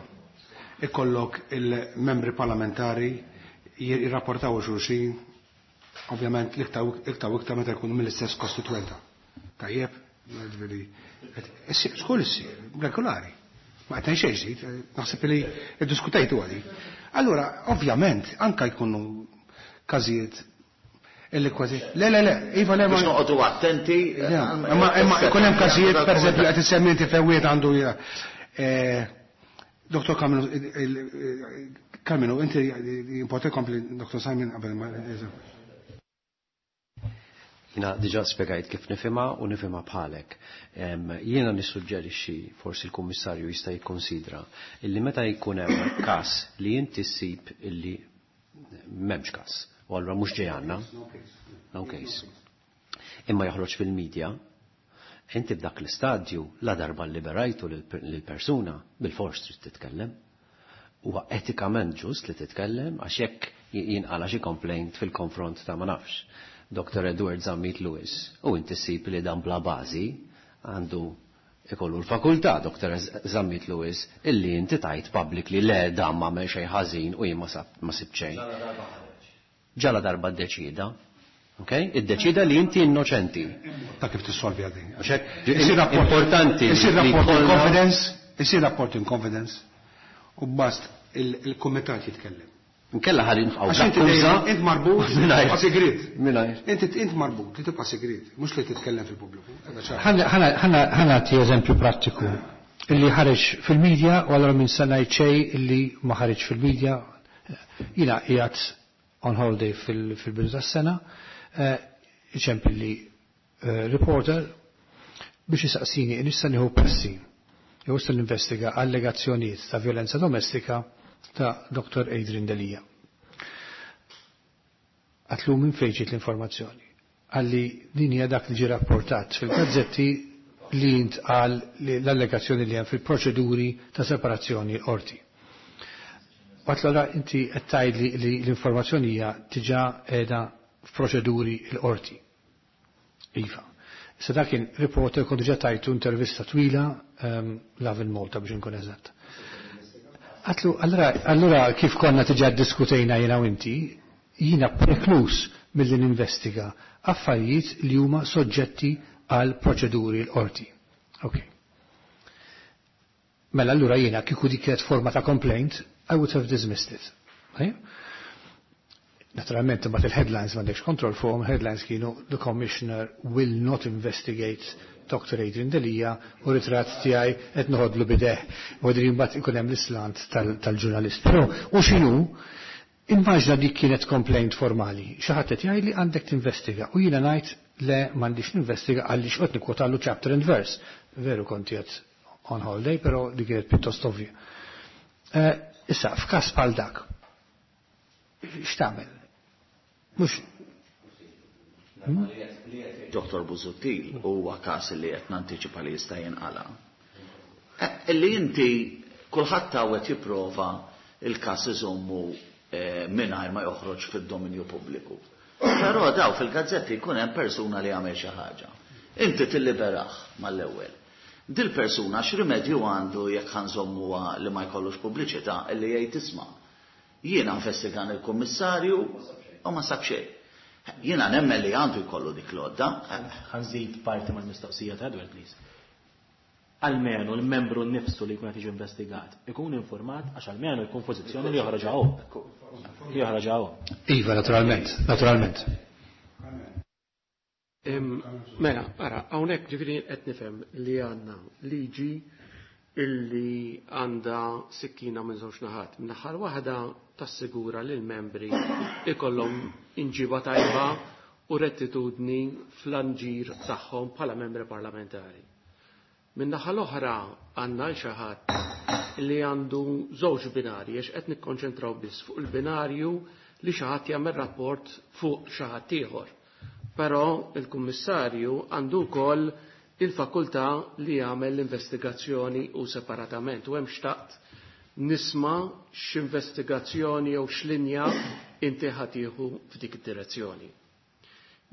Ikollok il-membri parlamentari jirrapportaw xulxin, ovvjament l-iktar u iktar meta jkunu mill-istess kostituenta. Tajjeb, ġifieri, xkull issir, regolari. Ma qed xejn ġdid, naħseb li iddiskutejtu għadi. Allura, ovvjament, anka jkunu każijiet illi kważi. Le, le, le, iva le. Biex noqogħdu attenti. Imma imma jkun hemm każijiet, pereżempju, qed issemmi inti fejn għandu Doktor Kaminu, Kaminu, inti importi kompli Doktor Simon qabel ma. Jiena diġà spjegajt kif nifhimha u nifhimha bħalek. Jiena nissuġġerixxi, forsi l-Kummissarju jista' jikkonsidra, illi meta jkun hemm każ li inti ssib illi m'hemmx każ, u allura mhux ġej għandna, no case. Imma joħroġ fil-medja, inti b'dak l-istadju la darba liberajtu lill-persuna bil-fors trid titkellem. Huwa etikament ġust li titkellem għax jekk jinqala xi complaint fil-konfront ta' ma nafx Doktor Edward Zammit Lewis, u inti ssib li dan bla bażi, għandu ikollu l-fakultà Doktor Zammit Lewis illi inti tajt publicly le dan ma għamel xejn ħażin u jien ma sibt xejn. Ġala darba ddeċida. Ok? Iddeċida li inti innoċenti. Ta' kif tissolvi għadin. Importanti. Isir rapport in confidence, isir rapport in confidence, u bast il-kumitat jitkellem. Nkella ħalli nfqgħu. Għax inti dejjem int marbut tibqa' sigriet. Mingħajr. Inti int marbut li tibqa' sigriet, mhux li titkellem fil-pubbliku. Ħa nagħti eżempju prattiku illi ħareġ fil-medja u allura minn sena xejn illi ma ħareġ fil-medja. Jiena qiegħed on holiday fil-bidu tas-sena, iċempel li reporter biex jisaqsini nista' nieħu passi jew nista' ninvestiga allegazzjonijiet ta' violenza domestika ta' Doktor Adrian Delia. Għatlu minn fejn ġiet l-informazzjoni. Għalli din hija dak li ġie rapportat fil-gazzetti li intqal l-allegazzjoni li hemm fil-proċeduri ta' separazzjoni qorti. Għatlu allura inti qed tgħidli li l-informazzjoni hija diġà qiegħda f'proċeduri l-qorti. Iva. Issa dak kien reporter kont diġà tajtu intervista twila Lovin Malta biex inkun eżatt. Għatlu, allura, allura kif konna diġà ddiskutejna jiena u inti, jiena preklus milli ninvestiga affarijiet li huma soġġetti għal proċeduri l-qorti. Ok. Mela allura jiena kieku dik kienet forma ta' complaint, I would have dismissed it. Okay? Naturalment, imbagħad il-headlines m'għandekx kontroll fuqhom, headlines kienu the commissioner will not investigate Doctor Adrian Delia u ritratt tiegħi qed noħodlu bideh. U għadri mbagħad ikun hemm l-islant tal-ġurnalist. Però u x'inhu, immaġna dik kienet complaint formali. Xi ħadd qed jgħidli għandek tinvestiga u jiena ngħid le m'għandix ninvestiga għaliex qed nikkwotallu chapter and verse. Veru kont qed on holiday, però dik kienet pjuttost ovvja. Issa, f'każ bħal dak, x'tagħmel? Mhux Doktor Busuttil huwa każ li qed nantiċipa li jista' jinqala. Illi inti kulħadd tawet jipprova il-każ iżommu mingħajr ma joħroġ fid-dominju pubbliku. Però daw fil-gazzetti jkun hemm persuna li għamel xi ħaġa. Inti tilliberaħ mal-ewwel. Dil persuna x'rimedju għandu jekk ħanżommuha li ma jkollux pubbliċità illi jgħid isma'. Jiena investigan il-kummissarju u ma sab xejn. Jiena nemmen li għandu jkollu dik l-għodda. Ħanżid parti mal-mistoqsija ta' Edward, please. Almenu l-membru nnifsu li jkun qed jiġi investigat ikun informat għax almenu jkun pożizzjoni li joħroġ hawn. Joħroġ hawn. Iva, naturalment, naturalment. Mela, ara, hawnhekk ġifieri qed nifhem li għandna liġi illi għandha sikkina minn żewġ naħat. Min-naħa waħda tassigura li l-membri ikollhom inġiba tajba u rettitudni fl-anġir tagħhom bħala membri parlamentari. Min-naħa l-oħra għandna l xi ħadd li għandu żewġ binarji għax qed nikkonċentraw biss fuq il-binarju li xi ħadd jagħmel rapport fuq xi ħadd ieħor. Però il-Kummissarju għandu wkoll il-fakultà li jagħmel l-investigazzjoni u separatament u hemm xtaqt nisma' x'investigazzjoni jew x'linja inti ħa tieħu f'dik id-direzzjoni.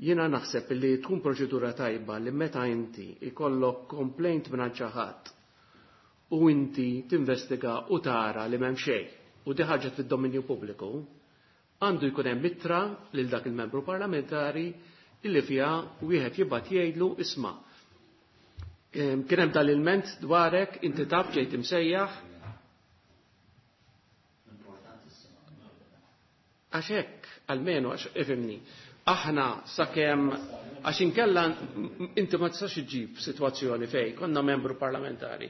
Jiena naħseb li tkun proċedura tajba li meta inti ikollok complaint minn xi ħadd u inti tinvestiga u tara li m'hemm xejn u di ħarġet fid-dominju pubbliku, għandu jkun hemm ittra lil dak il-membru parlamentari illi fiha wieħed jibgħat jgħidlu isma' kien hemm dal-ilment dwarek inti taf ġejt imsejjaħ. Għax hekk, almenu għax ifhimni. Aħna sakemm għax inkella inti ma tistax iġġib sitwazzjoni fejn konna membru parlamentari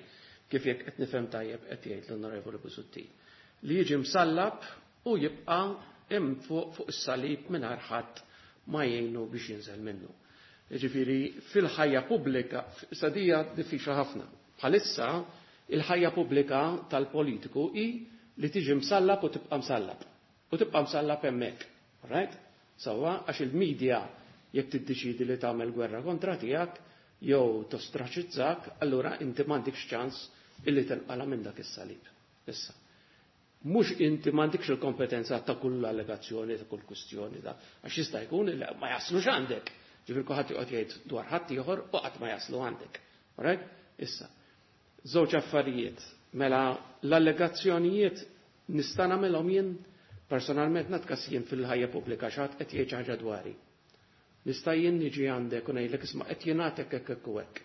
kif jekk qed nifhem tajjeb qed jgħid l-Onorevoli Busuttil li jiġi msallab u jibqa' hemm fuq fuq is-salib mingħajr ħadd ma jgħinu biex jinżel minnu. Jiġifieri fil-ħajja pubblika sadija diffiċli ħafna. Bħalissa il-ħajja pubblika tal-politiku hi li tiġi msallab u tibqa' msallab. U tibqa' msallab hemmhekk. Right? Sawa, għax il-medja jekk tiddeċidi li tagħmel gwerra kontra tiegħek jew tostraċizzak, allura inti m'għandikx ċans illi tinqala minn dak is-salib. Issa. Mhux inti m'għandikx il-kompetenza ta' kull allegazzjoni, ta' kull kwistjoni da, għax jista' jkun li ma jaslux għandek. Ġifier kulħadd joqgħod jgħid dwar ħadd ieħor u qatt ma jaslu għandek. Alright? Issa. Żewġ affarijiet. Mela l-allegazzjonijiet nista' nagħmelhom jien personalment natkas jien fil-ħajja pubblika x'għad qed jgħid ħaġa dwari. Nista' jien niġi għandek u ngħidlek isma' qed jingħatek hekk hekk u hekk.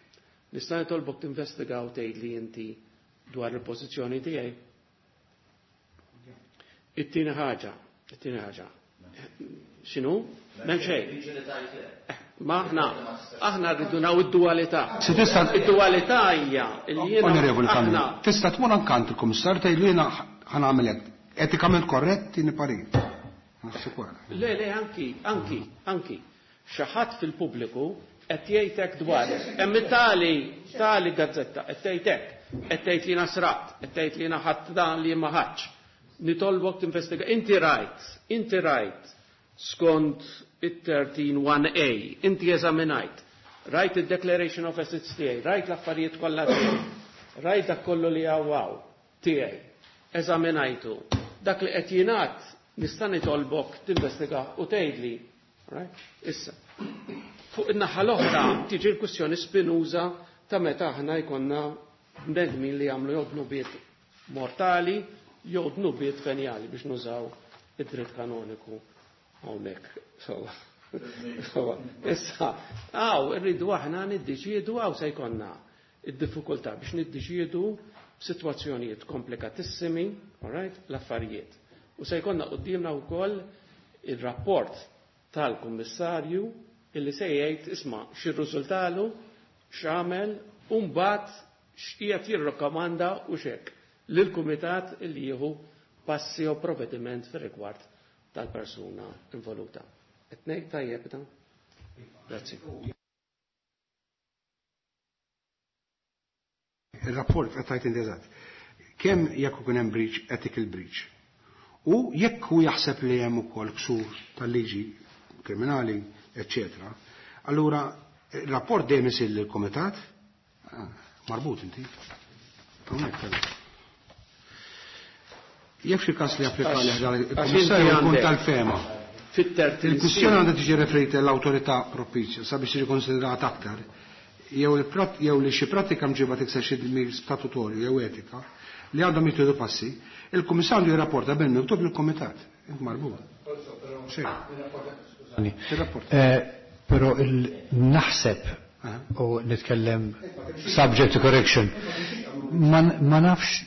Nista' nitolbok tinvestiga u tgħidli inti dwar il-pożizzjoni tiegħi. It-tieni ħaġa, it-tieni ħaġa. X'inhu? M'hemm xejn. Ma aħna aħna rridu naw id-dualità. Se tista' Id-dualità hija li jiena Onorevoli Camilleri, aħna tista' tmur ankant il-Kummissarju tgħidlu jiena ħa nagħmel hekk. Etikament korrett tieni parir. Naħseb wara. Le, le, anki, anki, anki. Xi ħadd fil-pubbliku qed jgħidlek dwarek. Hemm tali, tali gazzetta qed tgħidlek, qed tgħid li nasrat, qed tgħid li ħadd dan li ma ħadx. Nitolbok tinvestiga. Inti rajt, inti rajt skont it-thirteen one A, inti eżaminajt. Rajt id-declaration of assets tiegħi, rajt l-affarijiet kollha tiegħi, rajt dak kollu li hawn tiegħi. Eżaminajtu. Dak li qed jingħad nista' nitolbok tinvestiga u tgħidli. Right? Issa. Fuq in-naħa l-oħra tiġi l-kwistjoni spinuża ta' meta aħna jkollna bnedmin li jagħmlu jew dnubiet mortali jew dnubiet venjali biex nużaw id-dritt kanoniku hawnhekk. Issa, hawn irridu aħna niddeċiedu hawn se jkollna id-diffikultà biex niddeċiedu f'sitwazzjonijiet komplikatissimi, all right, l-affarijiet. U se jkollna quddiemna wkoll ir-rapport tal-Kummissarju illi se jgħid isma' x'irriżultalu, x'għamel u mbagħad x'qiegħed jirrakkomanda u x'hekk lill-kumitat illi jieħu passi u provvediment fir-rigward tal-persuna involuta. Qed ngħid tajjeb dan? Grazzi. Il-rapport qed tgħid inti eżatt. Kemm jekk ikun hemm breach, ethical breach. U jekk hu jaħseb li hemm ukoll ksur tal-liġi kriminali, eċċetera, allura il-rapport dejjem isir lill-kumitat, ah, marbut inti. Hawnhekk kellek. Jekk xi każ li applika li ħdar il-Kummissarju jkun tal-fema. Fit-tertin Il-kwistjoni għandha tiġi referita l-awtorità propizja sabiex tiġi konsiderata aktar, jew il-prat-, jew li xi pratika mġiba tikser xi dmir statutorju jew etika li għandhom jittieħdu passi, il-Kummissarju jirrapporta bil miktub lill-Kumitat. Int marbut. Sì. Tirrapporta. Eh, però il-naħseb u nitkellem subject to correction, ma, ma nafx,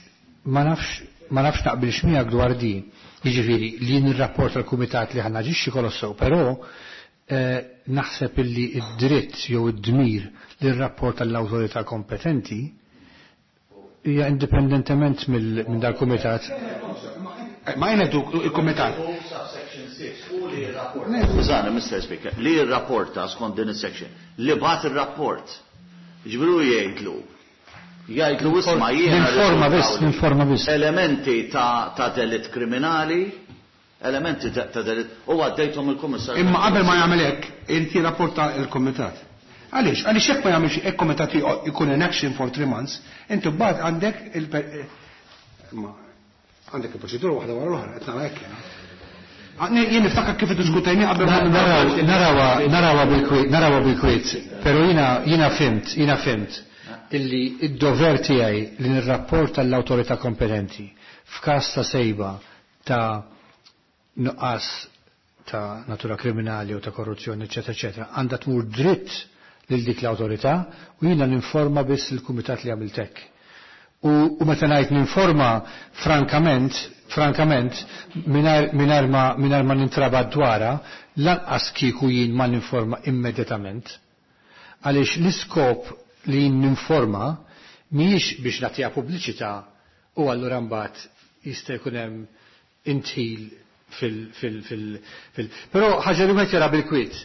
ma nafx, ma nafx naqbilx miegħek dwar din. Jiġifieri li nirrapporta l-kumitat li ħa naġixxi kolossew, però, eh, naħseb illi id-dritt jew id-dmir li rrapporta l-awtorità kompetenti hija indipendentement mill-, minn dal-kumitat. Ma jien qed il-kumitat. Subsection six u li jirrapporta. Skużani, Mister Speaker, li jirrapporta skont din is-section, li bagħat ir-rapport. Ġifieri jgħidlu. Jgħidlu isma' jiena. Ninforma biss, ninforma biss. Elementi ta' ta' delitt kriminali, elementi ta' delitt, u għaddejthom il-Kummissarju. Imma qabel ma jagħmel hekk, irid jirrapporta l-Kumitat. Għaliex? Għaliex jekk ma jagħmilx hekk kumitat jkun in action for three months, inti mbagħad għandek il għandek il-proċedura waħda wara l-oħra, qed nara hekk jiena. Jien niftakar kif iddiskutejni qabel ma Narawha narawha bil-kwiet, narawha bil-kwiet, però jiena jiena fhimt, jiena fhimt illi id-dover tiegħi li nirrapporta l-awtorità kompetenti f'każ ta' sejba ta' nuqqas ta' natura kriminali u ta' korruzzjoni, eċetera, eċetera, għandha tmur dritt lil dik l-awtorità u jiena ninforma biss il-kumitat li għamilt hekk. U, u meta ngħid ninforma frankament, frankament, mingħajr ma mingħajr ma nintrabat dwarha, lanqas kieku jien ma ninforma immedjatament. Għaliex l-iskop li jien ninforma mhijiex biex nagħtiha pubbliċità u allura mbagħad jista' jkun hemm intħil fil fil fil fil. Però ħaġa li wieħed jara bil-kwiet.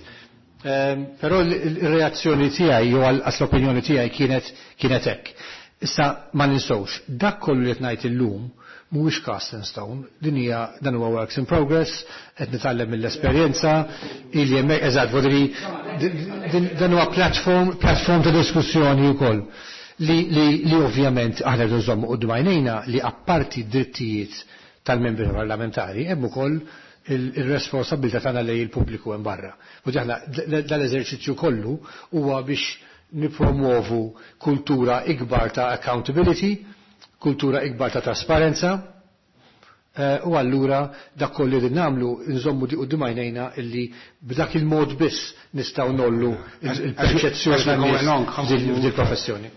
Però l-reazzjoni tiegħi jew għas l-opinjoni tiegħi kienet kienet hekk. Issa ma ninsewx, dak kollu li qed ngħid illum mhuwiex cast in stone, din hija dan huwa works in progress, qed nitgħallem mill-esperjenza, ili hemmhekk eżatt vodri dan huwa platform platform ta' diskussjoni wkoll li li li ovvjament aħna rridu nżommu quddiem għajnejna li apparti d-drittijiet tal-membri parlamentari hemm ukoll il-responsabilità tagħna lejn il-pubbliku hemm barra. U aħna dal-eżerċizzju kollu huwa biex nipromuovu kultura ikbar ta' accountability, kultura ikbar ta' trasparenza, u allura dak kollu li nagħmlu nżommu di quddiem għajnejna illi b'dak il-mod biss nistgħu nollu il-perċezzjoni f'dil professjoni.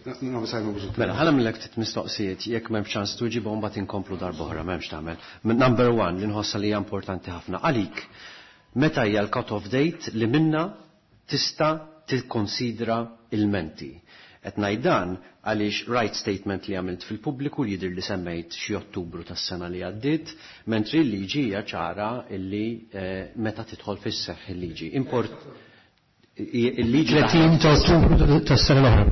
Mela, ħa nagħmillek ftit mistoqsijiet, jekk m'hemmx ċans tuġibhom mbagħad inkomplu darb'oħra, m'hemmx tagħmel. Number one, li nħossha li hija importanti ħafna għalik. Meta hija l-cut-off date li minna tista' tikkonsidra ilmenti? Qed ngħid dan għaliex right statement li għamilt fil-pubbliku li jidher li semmejt xi Ottubru tas-sena li għaddiet, mentri l-liġi hija ċara illi meta tidħol fis-seħħ il-liġi. Import il-liġi tletin ta' Ottubru tas-sena l-oħra.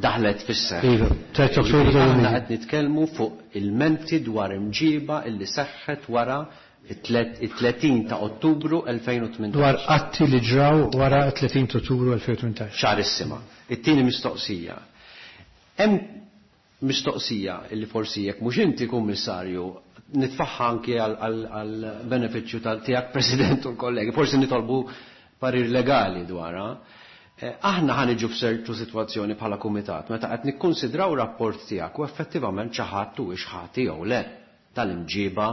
Daħlet fis-seħħ. Iva, tletin Ottubru. Aħna qed nitkellmu fuq ilmenti dwar imġiba illi seħħet wara it-tletin ta' Ottubru elfejn u tmintax. Dwar atti li ġraw wara tletin ta' Ottubru elfejn u tmintax. Ċarissima. It-tieni mistoqsija. Hemm mistoqsija illi forsi jekk mhux inti, Kummissarju, nitfaħħa anki għal benefiċċju tiegħek, President, u l-kollegi, forsi nitolbu parir legali dwarha. Aħna ħa niġu f'ċertu sitwazzjoni bħala kumitat meta qed nikkonsidraw rapport tiegħek u effettivament xi ħadd huwiex ħati jew le tal-imġiba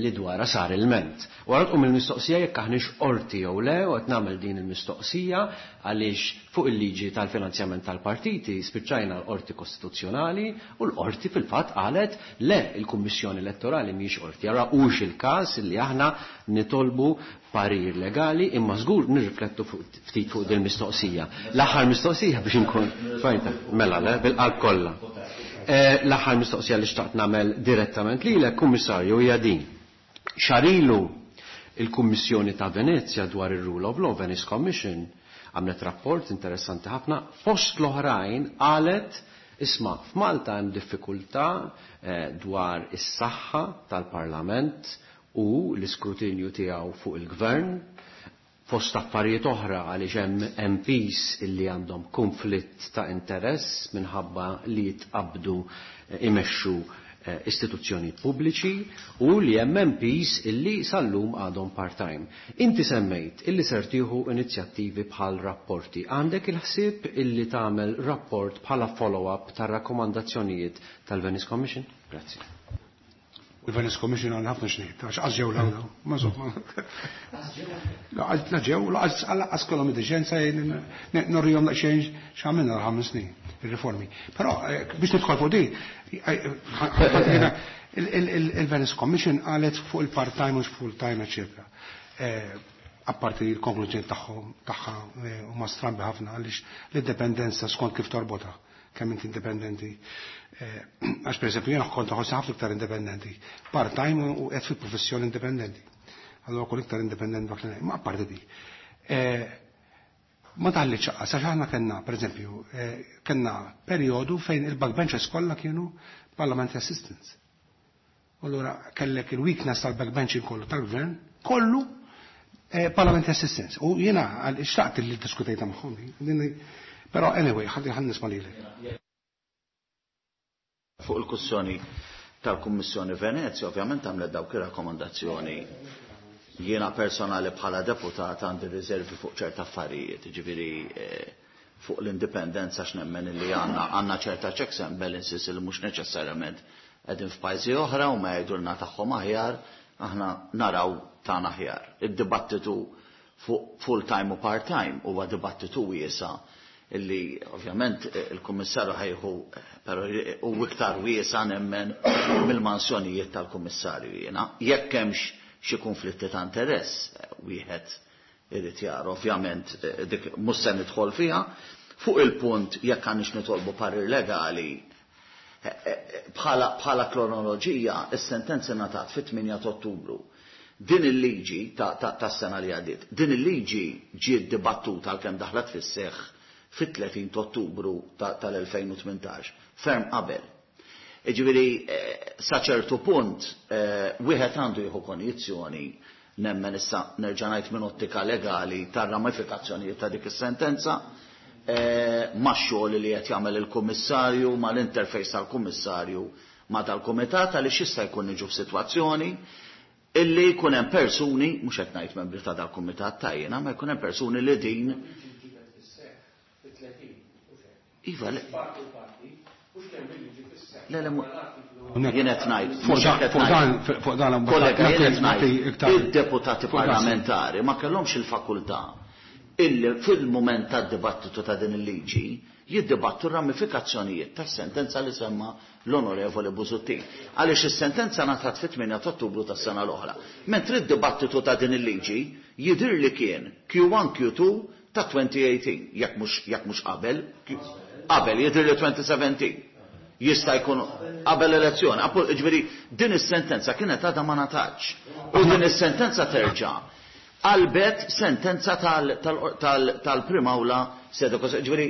li dwarha sar ilment. U għara tqum il-mistoqsija jekk aħniex qorti jew le, u qed nagħmel din il-mistoqsija għaliex fuq il-liġi tal-finanzjament tal-partiti spiċċajna l-qorti kostituzzjonali u l-qorti fil-fatt qalet le, il-Kummissjoni Elettorali mhijiex qorti. Ara hux il-każ li aħna nitolbu parir legali, imma żgur nirriflettu ftit fuq din mistoqsija. L-aħħar mistoqsija biex inkun fajta, mela le, bil-qalb kollha. L-aħħar mistoqsija li xtaqt nagħmel direttament lilek, Kummissarju, hija din. Xahar ilu il-Kummissjoni ta' Venezia dwar ir-Rule of Law, Venice Commission, għamlet rapport interessanti ħafna, fost l-oħrajn qalet isma' f'Malta hemm diffikultà dwar is-saħħa tal-Parlament u l-iskrutinju tiegħu fuq il-Gvern, fost affarijiet oħra għaliex hemm M Ps illi għandhom konflitt ta' interess minħabba li jitqabdu imexxu istituzzjoni pubbliċi u li hemm M Ps illi sal-lum għadhom part-time. Inti semmejt illi ser tieħu inizjattivi bħal rapporti. Għandek il-ħsieb illi tagħmel rapport bħala follow-up tar-rakkomandazzjonijiet tal-Venice Commission? Grazzi. Il-Venice Commission għandna ħafna xnejt, għax għax ġew l-għawda, ma zomma. La ġew, la kellhom id-deċenza norrihom daqsxejn x'għamilna l-ħames snin, il-riformi. Però biex nidħol fuq din, il-Venice Commission qalet fuq il-part-time u full-time, eccetera. Apparti il-konklużjoni tagħhom tagħha huma strambi ħafna għaliex l-indipendenza skont kif torbota kemm inti indipendenti. Għax per eżempju jiena kont ħossi ħafna iktar indipendenti. Part-time u qed fil-professjoni indipendenti. Allura kull iktar independent dak li ma apparti dik. Ma taħli ċaqqa, sax aħna kellna, pereżempju, kellna perjodu fejn il-backbenchers kollha kienu parliamentary assistants. Allura kellek il-weakness tal-backbenching kollu tal-gvern, kollu parliamentary assistants. U jiena xtaqt li diskutejta magħhom. Però anyway, ħalli ħan nisma' lilek. Fuq il-kussjoni tal-Kummissjoni Venezia, ovvjament għamlet dawk ir-rakkomandazzjoni. Jiena personali bħala deputat għandi riservi fuq ċerta affarijiet, ġifieri fuq l-indipendenza x'nemmen li għandna għandna ċerta checks and balances li mhux neċessarjament qegħdin f'pajjiżi oħra u ma jgħidulna tagħhom aħjar, aħna naraw tagħna aħjar. Id-dibattitu fuq full time u part time huwa dibattitu wiesa' illi ovvjament il-kummissarju ħajħu però u iktar wiesa' nemmen mill-mansjonijiet tal-kummissarju jiena. Jekk hemmx xi konflitti ta' interess, wieħed irid jara ovvjament dik mhux se nidħol fiha. Fuq il-punt jekk għandix nitolbu parir legali, bħala bħala kronoloġija is-sentenza ngħatat fit-tmienja ta' Ottubru. Din il-liġi tas-sena li għaddiet, din il-liġi ġiet dibattuta għalkemm daħlet fis-seħħ fit-tletin ta' Ottubru tal-elfejn u tmintax, ferm qabel. Ġifieri sa ċertu punt wieħed għandu jieħu konjizzjoni nemmen issa nerġa' ngħid minn ottika legali tar-ramifikazzjonijiet ta' dik is-sentenza max-xogħol li qed jagħmel il-kummissarju, mal-interface tal-kummissarju ma' tal-kumitat, għaliex jista' jkun niġu f'sitwazzjoni illi jkun hemm persuni, mhux qed ngħid membri ta' dal-kumitat tajjena, ma jkun hemm persuni li din Iva, le. Le, le, jien qed ngħid, fuq dan kollega, jien qed ngħid, id-deputati parlamentari ma kellhomx il-fakultà illi fil-mument tad-dibattitu ta' din il-liġi jiddibattu ramifikazzjonijiet tas-sentenza li semma l-Onorevoli Busuttil. Għaliex is-sentenza ngħatat fit-tmienja ta' Ottubru tas-sena l-oħra. Mentri d-dibattitu ta' din il-liġi jidhir li kien Q one Q two ta' twenty eighteen, jekk mhux jekk mhux qabel, qabel jidhir li twenty seventeen. Jista' jkun qabel elezzjoni. Ġifieri din is-sentenza kienet għadha ma ngħatatx. U din is-sentenza terġa' qalbet sentenza tal-Prim Awla sede. Ġifieri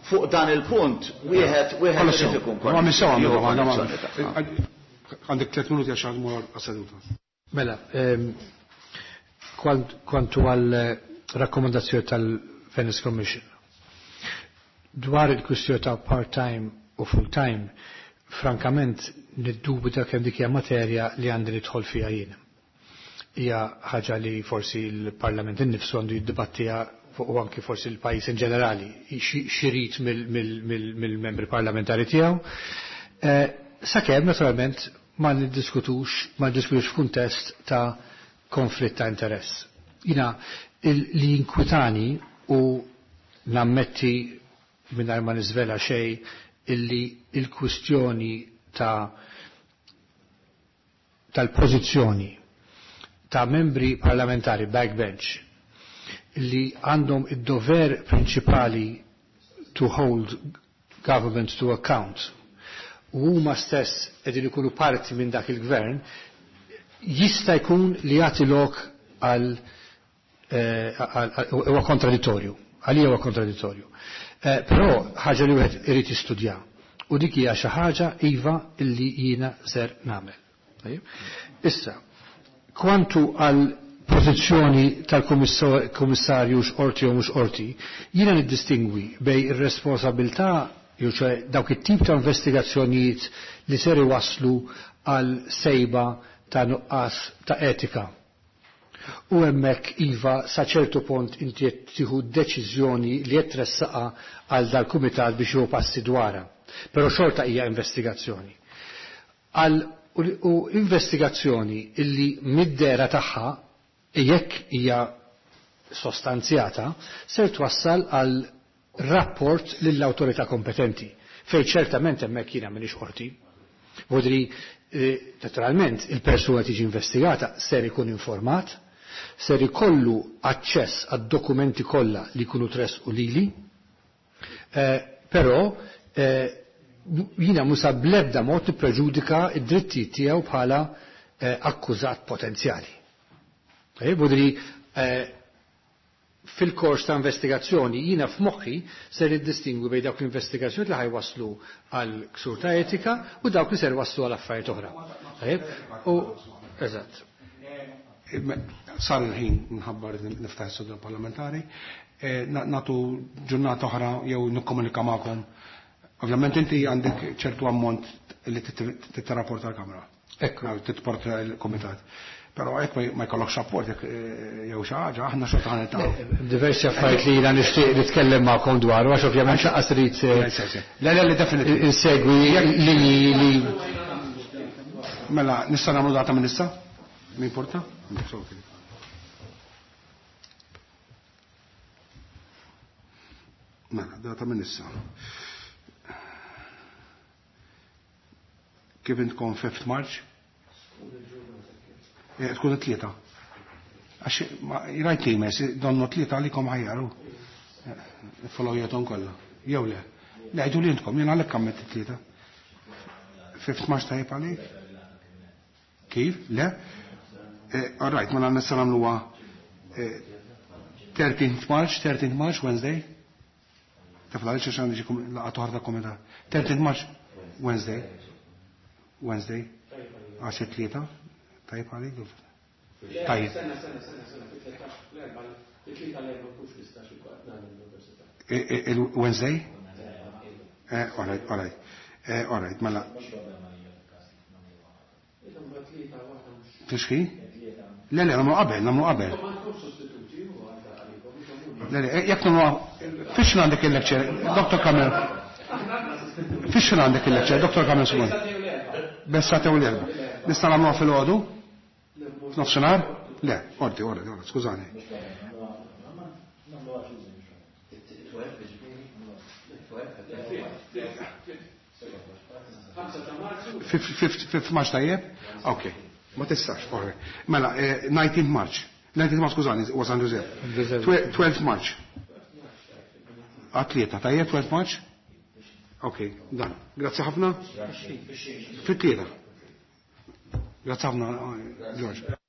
fuq dan il-punt wieħed wieħed irid ikun Għandek tliet minuti għax għadmu għas-seduta. Mela, kwantu għal rakkomandazzjoni tal-Venice Commission dwar il-kwistjoni ta' part-time u full-time, frankament niddubita kemm dik hija materja li għandi nidħol fiha jien. Hija ħaġa li forsi l-Parlament innifsu għandu jiddibattiha fuq u anki forsi l-pajjiż in ġenerali xirid mill-membri parlamentari tiegħu. Sakemm naturalment ma niddiskutux ma niddiskutux f'kuntest ta' konflitt ta' interess. Jina li jinkwitani u nammetti mingħajr ma niżvela xejn illi il-kwistjoni ta' tal-pożizzjoni ta' membri parlamentari backbench li għandhom id-dover prinċipali to hold government to account u huma stess qegħdin ikunu parti minn dak il-gvern, jista' jkun li jagħti lok għal huwa kontradittorju, għalija huwa kontradittorju. Però ħaġa li wieħed irid jistudja u dik hija xi ħaġa iva illi jiena ser nagħmel. Issa, kwantu għal pożizzjoni tal-kummissarju x'qorti jew mhux qorti, jiena niddistingwi bej ir-responsabilità jew ċe dawk it-tip ta' investigazzjonijiet li ser iwasslu għal sejba ta' nuqqas ta' etika. U hemmhekk iva sa ċertu punt inti qed tieħu deċiżjoni li qed tressaqa għal dal-kumitat biex jieħu passi dwarha. Però xorta hija investigazzjoni. Għal u investigazzjoni illi mid-dera tagħha jekk hija sostanzjata ser twassal għal rapport lill-awtorità kompetenti fejn ċertament hemmhekk jiena m'iniex qorti. Vodri naturalment il-persuna tiġi investigata ser ikun informat, ser ikollu aċċess għad-dokumenti kollha li jkunu tressqu lili, però jiena musa bl-ebda mod nippreġudika id-drittijiet tiegħu bħala akkużat potenzjali. Budri fil-kors ta' investigazzjoni jina f'moħħi ser niddistingwi bejn dawk l-investigazzjoni li ħajwaslu għal ksur ta' etika u dawk li ser waslu għal affarijiet oħra. U eżatt. Sar il-ħin nħabbar niftaħ is-sodda parlamentari, natu ġurnata oħra jew nikkomunika magħkom. Ovvjament inti għandek ċertu ammont li titrapporta l-Kamra. Ekku. Titporta l-Komitat. Però hekk ma jkollokx rapport jew xi ħaġa, aħna xorta ħa niltaqgħu. Diversi affarijiet li jiena nixtieq nitkellem magħkom dwaru għax ovvjament lanqas irid Le le le definitely. Insegwi linji li Mela, nista' nagħmlu data minn issa? Mi importa? Mela, data minn issa. Kif intkom fifth March? Tkun it-tlieta. Għax rajt li jmess, donnu tlieta għalikom ħajjaru. Follow jeton kollha. Jew le. Le għidu li intkom, jien għalhekk għammet it-tlieta. Fifth March tajjeb għalik? Kif? Le? All right, mela nista' nagħmluha thirteenth March, thirteenth March, Wednesday. Taf għaliex għax għandi xi laqgħa toħra ta' komitat. thirteenth March, Wednesday. Wednesday. Għax it-tlieta. Tajjeb għalik? Tajjeb. Sena, sena, sena, sena, fit-tlettax l-erba', it-tlieta l-erba' mhux nistax ikun qed nagħmel l-università. Il-Wednesday? All right, all right. All right, mela. Tixħi? Le, le, nagħmlu qabel, nagħmlu qabel. Le, le, jekk nagħmlu fiex għandek il-lecture, Doctor Kamel. Fiex għandek il-lecture, Doctor Kamel Smun. Bessa tew l-erba. Nista' nagħmluha fil-għodu? F'nofsinhar? Le, ordi, ordi, ordi, skużani. Fifth March tajjeb? Ok, ma tistax, ordi. Mela, nineteenth March. nineteenth March, skużani, huwa San Giuseppe. twelfth March. Għat-tlieta, tajjeb, twelfth March? Ok, dan. Grazzi ħafna. Fit-tlieta. Grazzi ħafna, George.